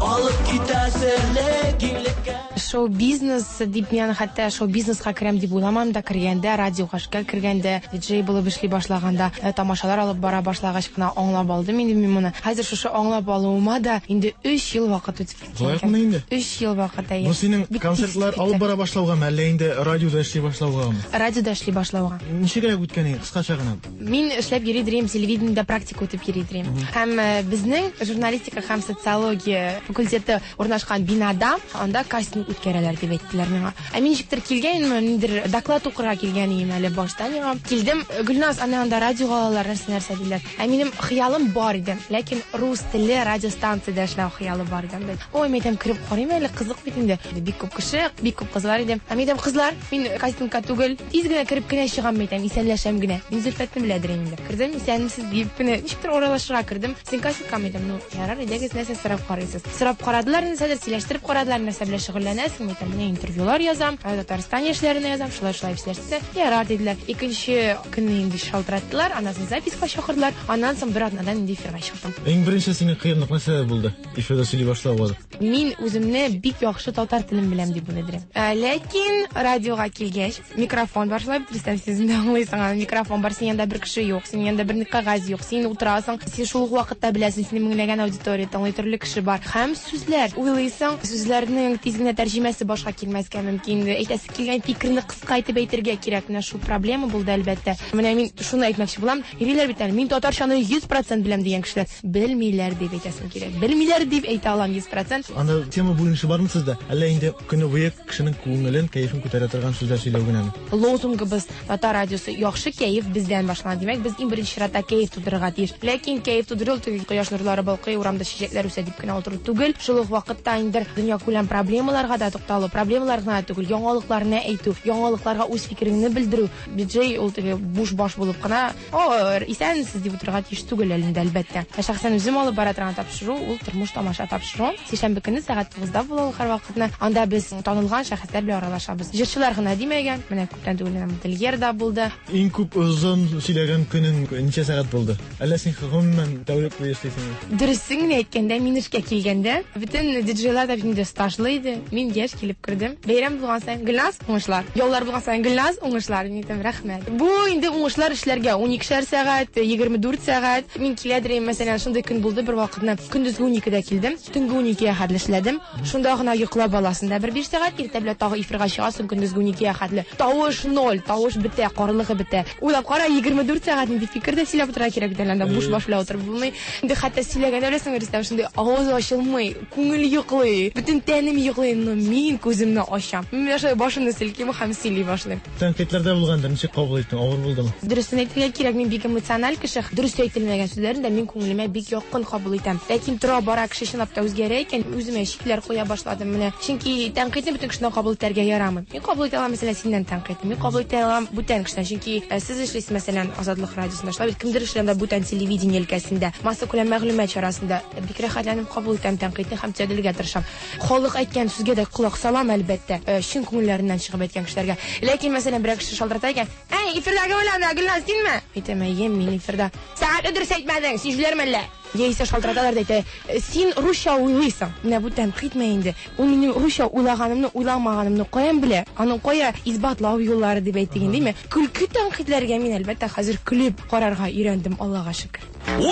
алып китә серле киңлеккә. Шоу-бизнес дип мин хәтта шоу-бизнеска керәм дип уйламам да, кергәндә, радиога эшкә кергәндә, диджей булып эшли башлаганда, тамашалар алып бара башлагач кына аңлап алдым инде мин моны. Хәзер шушы аңлап алуыма да инде 3 ел вакыт үтеп киткән. Лаякмы инде? 3 ел вакыт, әйе. Бу синең концертлар алып бара башлаугамы, әллә инде радиода эшли башлаугамы? Радиода эшли башлауга. Ничегрәк үткән инде, кыскача гына? Мин эшләп йөри дирем, телевидениедә практика үтеп йөри дирем. Һәм безнең журналистика һәм социология факультеты урнашкан бинада анда кастинг үткәрәләр дип әйттеләр миңа. Ә мин ничектер килгәнмен, ниндидер доклад укырга килгән идем әле башта миңа. Килдем, Гөлназ, аны анда радиога алалар, нәрсә-нәрсә диләр. Ә минем хыялым бар иде, ләкин рус телле радиостанциядә эшләү хыялы бар иде. Ой, мин әйтәм, кереп карыйм әле, кызык бит инде. Бик күп кеше, бик күп кызлар иде. Ә мин әйтәм, кызлар, мин кастингка түгел, тиз генә кереп кенә чыгам, мин әйтәм, исәнләшәм генә. Мин Зөлфәтне беләдер инде. Кердем, исәнмесез дип, менә ничектер аралашырга кердем. Син кастингка, мин әйтәм, ну, ярар, әйдәгез, нәрсә сорап карыйсыз. Сорап карадылар, нәрсәдер сөйләштереп карадылар, нәрсә белән шөгыльләнәсең, мин әйтәм, менә интервьюлар язам, Татарстан яшьләренә язам, шулай-шулай сөйләштек. Ярар диделәр. Икенче көнне инде шалтыраттылар, аннан соң записка чакырдылар, аннан соң бер атнадан инде эфирга чыктым. Иң беренче синең кыенлык нәрсәдә булды? Эфирда сөйли башлауга. Мин үземне бик яхшы татар телен беләм дип уйлыйм. Ләкин радиога килгәч, микрофон бар, шулай бит, Рөстәм, син үзең дә аңлыйсың, аны микрофон бар, синең янында бер кеше юк, синең янында бер кәгазь юк, син утырасың, син шул ук вакытта беләсең, сине меңләгән аудитория тыңлый, төрле кеше бар. Һәм сүзләр, уйлыйсың, сүзләрнең тиз генә тәрҗемәсе башка килмәскә мөмкин. Әйтәсе килгән фикерне кыска итеп әйтергә кирәк. Менә шул проблема булды, әлбәттә. Менә мин шуны әйтмәкче булам. Йөриләр бит әле, мин татарчаны 100% беләм дигән кешеләр. Белмиләр дип әйтәсем килә. Белмиләр дип әйтә алам 100%. Анда тема бүленеше бармы сездә? Әллә инде көне буе кешенең күңелен, кәефен күтәрә торган сүзләр сөйләү генәме? Лозунгыбыз Татар радиосы яхшы кәеф бездән башлана. Димәк, без иң беренче чиратта кәеф тудырырга тиеш. Ләкин кәеф тудыру ул теге кояш нурлары балкый, урамда чәчәкләр үсә дип кенә утыру түгел. Шул ук вакытта инде дөньякүләм проблемаларга да тукталу, проблемалар гына түгел, яңалыкларны әйтү, яңалыкларга үз фикереңне белдерү. Диджей ул теге буш баш булып кына, "О, исәнмесез" дип утырырга тиеш түгел әле инде, әлбәттә. Ә шәхсән үзем алып бара торган тапшыру ул тормыш тамаша тапшыру. Сишәмбе көнне сәгать 9-да була ул һәрвакытны. Анда без танылган шәхесләр белән аралашабыз. Җырчылар гына димәгән, менә күптән түгел генә модельер да булды. Иң күп озын сөйләгән көнең ничә сәгать булды? Әллә син гомумән тәүлек буе эшлисеңме? Дөресен генә әйткәндә, мин эшкә килгәндә, бөтен диджейлар да бит инде стажлы иде. Мин Килгәч, килеп кердем. Бәйрәм булган саен Гөлназ, уңышлар. Яллар булган саен Гөлназ, уңышлар. Мин әйтәм, рәхмәт. Бу инде уңышлар эшләргә 12 сәгать, 24 сәгать. Мин киләдер идем, мәсәлән, шундый көн булды бер вакытны. Көндезге 12дә килдем, төнге 12гә хәтле эшләдем. Шунда гына йоклап аласың да бер 5 сәгать, иртә белән тагы эфирга чыгасың, көндезге 12гә хәтле. Тавыш ноль, тавыш бетә, карлыгы бетә. Уйлап кара, 24 сәгать нинди фикер дә сөйләп утырырга кирәк бит әле анда, буш баш белән утырып булмый. Инде хәтта сөйләгәндә беләсеңме, Рөстәм, шундый авыз ачылмый, күңел йоклый, бөтен тәнем йоклый, но мин күземне ачам. Мин менә шулай башымны селким һәм сөйли башлыйм. Тәнкыйтьләр дә булгандыр, ничек кабул иттең, авыр булдымы? Дөресен әйтергә кирәк, мин бик эмоциональ кеше. Дөрес әйтелмәгән сүзләрне дә мин күңелемә бик якын кабул итәм. Ләкин тора-бара кеше чынлап та үзгәрә икән, үземә чикләр куя башладым менә. Чөнки тәнкыйтьне бөтен кешедән кабул итәргә ярамый. Мин кабул итә алам, мәсәлән, синнән тәнкыйтьне. Мин кабул итә алам бүтән кешедән. Чөнки э, сез эшлисез, мәсәлән, Азатлык радиосында, шулай бит, кемдер эшли анда бүтән телевидение өлкәсендә, массакүләм мәгълүмат чарасында. Бик рәхәтләнеп кабул итәм тәнкыйтьне һәм төзәтелергә тырышам. Халык әйткән сүзгә дә колак салам, әлбәттә, э, чын күңелләреннән чыгып әйткән кешеләргә. Ләкин, мәсәлән, берәр кеше шалтырата икән, Әй, эфирдәге белән дә, Гөлназ, синме? Әйтәм, әйе, мин эфирда. Сәгатьне дөрес әйтмәдең, син җүләрме әллә? Яисә шалтыраталар да әйтә, син русча уйлыйсың. Менә бу тәнкыйтьме инде? Ул минем русча уйлаганымны, уйламаганымны каян белә? Аның кая исбатлау юллары дип әйтик инде, димме? Көлке тәнкыйтьләргә мин, әлбәттә, хәзер көлеп карарга өйрәндем, Аллага шөкер. Вау!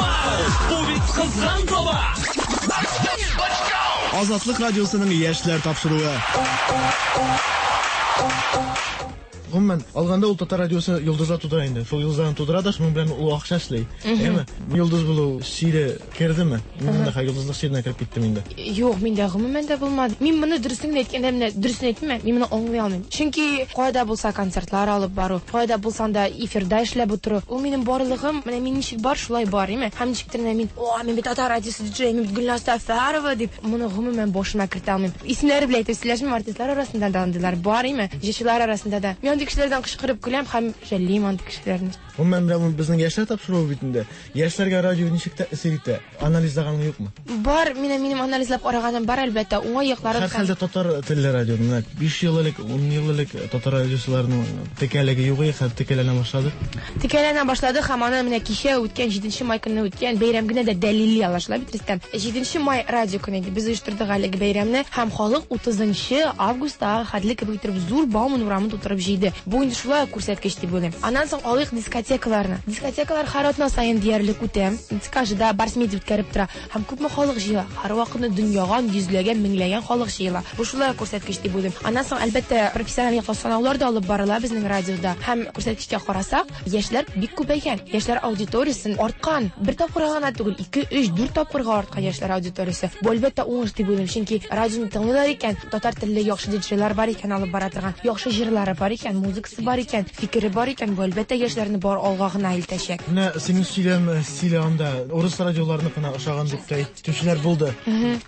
Бу бит кызган коба! Азатлык радиосының яшьләр тапшыруы. Гомумән, алганда ул татар радиосы йолдызлар тудыра инде. Шул йолдызларны тудыра да, шуның белән ул акча эшли. Әйеме? Йолдыз булу чире кердеме? Мин монда хәзер йолдызлык чиренә кереп киттем инде. Юк, миндә гомумән дә булмады. Мин моны дөресен генә әйткәндә, менә дөресен әйтимме, мин моны аңлый алмыйм. Чөнки кайда булса концертлар алып бару, кайда булсаң да эфирда эшләп утыру, ул минем барлыгым, менә мин ничек бар, шулай бар, әйеме? Һәм ничектер менә мин, о, мин бит татар радиосы диджей, мин бит Гөлназ Сәфәрова дип, моны гомумән башыма кертә алмыйм. Исемнәре белән әйтеп сөйләшмим, артистлар арасында да андыйлар бар, име, җырчылар арасында да. Мин андый кешеләрдән кычкырып көләм һәм жәллим андый кешеләрне. Гомумән, менә бу безнең яшьләр тапшыруы бит инде. Яшьләргә радио ничек тәэсир итә? Анализлаганың юкмы? Бар, менә минем анализлап караганым бар, әлбәттә, уңай якларын һәм. Һәрхәлдә татар телле радио. Менә 5 ел элек, 10 ел элек татар радиосыларының текәлеге юк иде, хәзер текәләнә башлады. Текәләнә башлады һәм аны менә кичә үткән 7 май көнне үткән бәйрәм генә дә дәлилли ала, шулай бит, Рөстәм? Җиденче май радио көне иде. Без оештырдык әлеге бәйрәмне һәм халык утызынчы августтагы хәтле кебек иттереп зур Бауман урамын тутырып җыйды. Бу инде шулай ук күрсәткеч дип уйлыйм. Аннан соң алыйк дискотекаларны. Дискотекалар һәр атна саен диярлек үтә. ЦКЖда Барс Медиа үткәреп тора. Һәм күпме халык җыела. Һәрвакытны дөньяган йөзләгән, меңләгән халык җыела. Бу шулай ук күрсәткеч дип уйлыйм. Аннан соң, әлбәттә, профессиональ яктан санаулар да алып барыла безнең радиода. Һәм күрсәткечкә карасак, Яшьләр бик күбәйгән. Яшьләр аудиториясен арткан. Бер тапкырга гына түгел, ике, өч, дүрт тапкырга арткан яшьләр аудиториясе. Бу, әлбәттә, уңыш дип уйлыйм, чөнки радионы тыңлыйлар икән, татар телле яхшы диджейлар бар икән алып бара торган, яхшы җырлары бар икән, музыкасы бар икән, фикере бар икән, бу, әлбәттә, яшьләрне бар алга гына илтәчәк. Менә синең сөйләм стиле анда урыс радиоларыныкына ошаган дип тә Әйтүчеләр булды.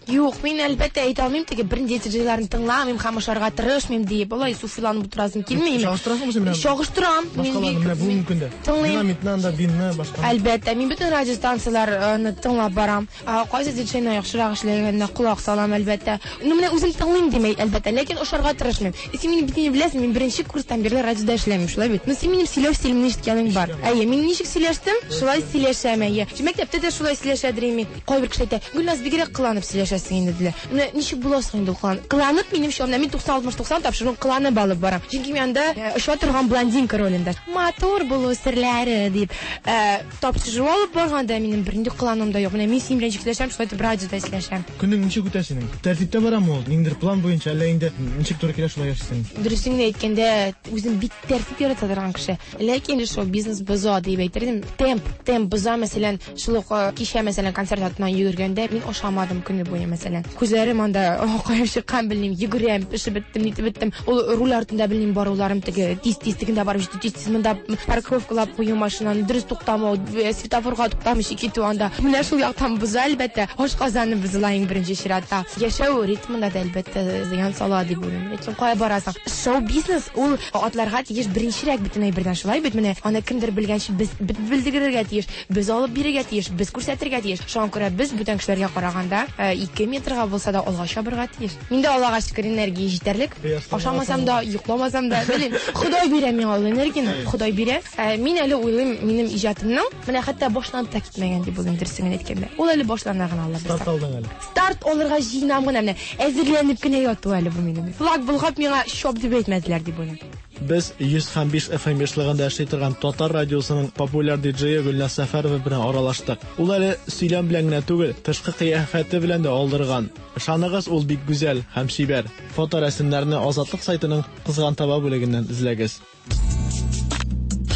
Юк, мин әлбәттә әйтә алмыйм, теге бернинди диджейларны тыңламыйм һәм ошарга тырышмыйм диеп, алай суфиланып утырасым килми. Чагыштырасыңмы син менә? Чагыштырам. Башкаларны менә бүгенге көндә. Тыңлыйм. Динамитны анда, Бинны, башканы. Әлбәттә, мин бөтен радиостанцияләрне тыңлап барам. Кайсы диджейның яхшырак эшләгәненә колак салам, әлбәттә. Ну, менә үзем тыңлыйм димәй, әлбәттә, ләкин ошарга тырышмыйм. Син мине бит инде беләсең, мин беренче курстан бирле радиода эшләмим, шулай бит? Ну, син минем сөйләү стилемне ишеткәнең бар. Әйе, мин ничек сөйләштем, шулай сөйләшәм, әйе. Мәктәптә дә шулай сөйләшәдер инде. Кайбер кеше әйтә, Гөлназ, бигрәк кыланып сөйләшәсең инде, диләр. Менә ничек була соң инде ул кыланып? Кыланып, минемчә, менә мин 90-60-90 тапшыруын кыланып алып барам. Чөнки мин анда э, оча торган блондинка ролендә. Матур булу серләре дип э, тапшыру алып барганда минем бернинди кылануым да юк. Менә мин синең белән ничек сөйләшәм, шулай итеп радиода сөйләшәм. Көнең ничек үтә синең? Тәртиптә барамы ул? Ниндидер план буенча, әллә инде ничек туры килә шулай яшисең? Дөресен генә әйткәндә, үзем бик тәртип ярата торган кеше. Ләкин шоу-бизнес боза дип әйтер идем. Темп, темп боза, мәсәлән, Шул ук э, кичә, мәсәлән, концерт артыннан йөгергәндә мин ашамадым көне буе, мәсәлән. Күзләрем анда каеп чыккан, белмим, йөгерәм, пешеп беттем, нитеп беттем. Ул руль артында, белмим, баруларым теге тиз-тиз тегендә барып җитү, тиз-тиз монда парковкалап кую машинаны, дөрес туктамау, э, светофорга туктамыйча китү анда. Менә шул яктан боза, әлбәттә. Ашказаны бозыла иң беренче чиратта. Яшәү ритмына да, әлбәттә, зыян сала дип уйлыйм. Ләкин кая барасың? Шоу-бизнес ул Атларга тиеш беренчерәк бөтен әйбердән шулай бит менә аны кемдер белгәнче без белдерергә тиеш, без алып бирергә тиеш, без күрсәтергә тиеш. Шуңа күрә без бүтән кешеләргә караганда 2 э, метрга булса да алга чабырга тиеш. Миндә Аллага шөкер энергия җитәрлек. Ашамасам да, йокламасам да, белмим. Ходай бирә миңа ул энергияне, Ходай бирә. Э, мин әле уйлыйм, минем иҗатымның менә хәтта башланып та китмәгән дип уйлыйм, дөресен генә әйткәндә. Ул әле башлана гына Алла Старт алдың әле. Старт алырга җыенам гына менә. Әзерләнеп кенә яту әле бу минем. Флаг болгап миңа чоп дип әйтмәделәр дип уйлыйм. Без 100 һәм 5 FM ешлыгында эшли торган татар радиосының популяр диджее Гөлназ Сәфәрова белән аралаштык. Ул әле сөйләм белән генә түгел, тышкы кыяфәте белән дә алдырган. Ышаныгыз, ул бик гүзәл һәм чибәр. Фоторәсемнәрне Азатлык сайтының Кызган таба бүлегеннән эзләгез.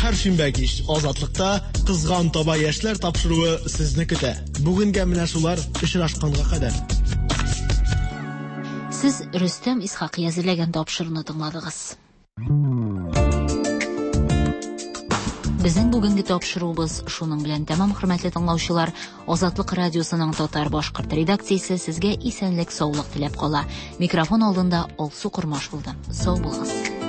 Һәр шимбә кич Азатлыкта Кызган таба яшьләр тапшыруы сезне көтә. Бүгенгә менә шулар, очрашканга кадәр. Сез Рөстәм Исхакый әзерләгән тапшыруны тыңладыгыз. Безнең бүгенге тапшыруыбыз шуның белән тәмам, хөрмәтле тыңлаучылар. Азатлык радиосының татар-башкорт редакциясе сезгә исәнлек-саулык теләп кала. Микрофон алдында Алсу Кормаш булды. Сау булыгыз.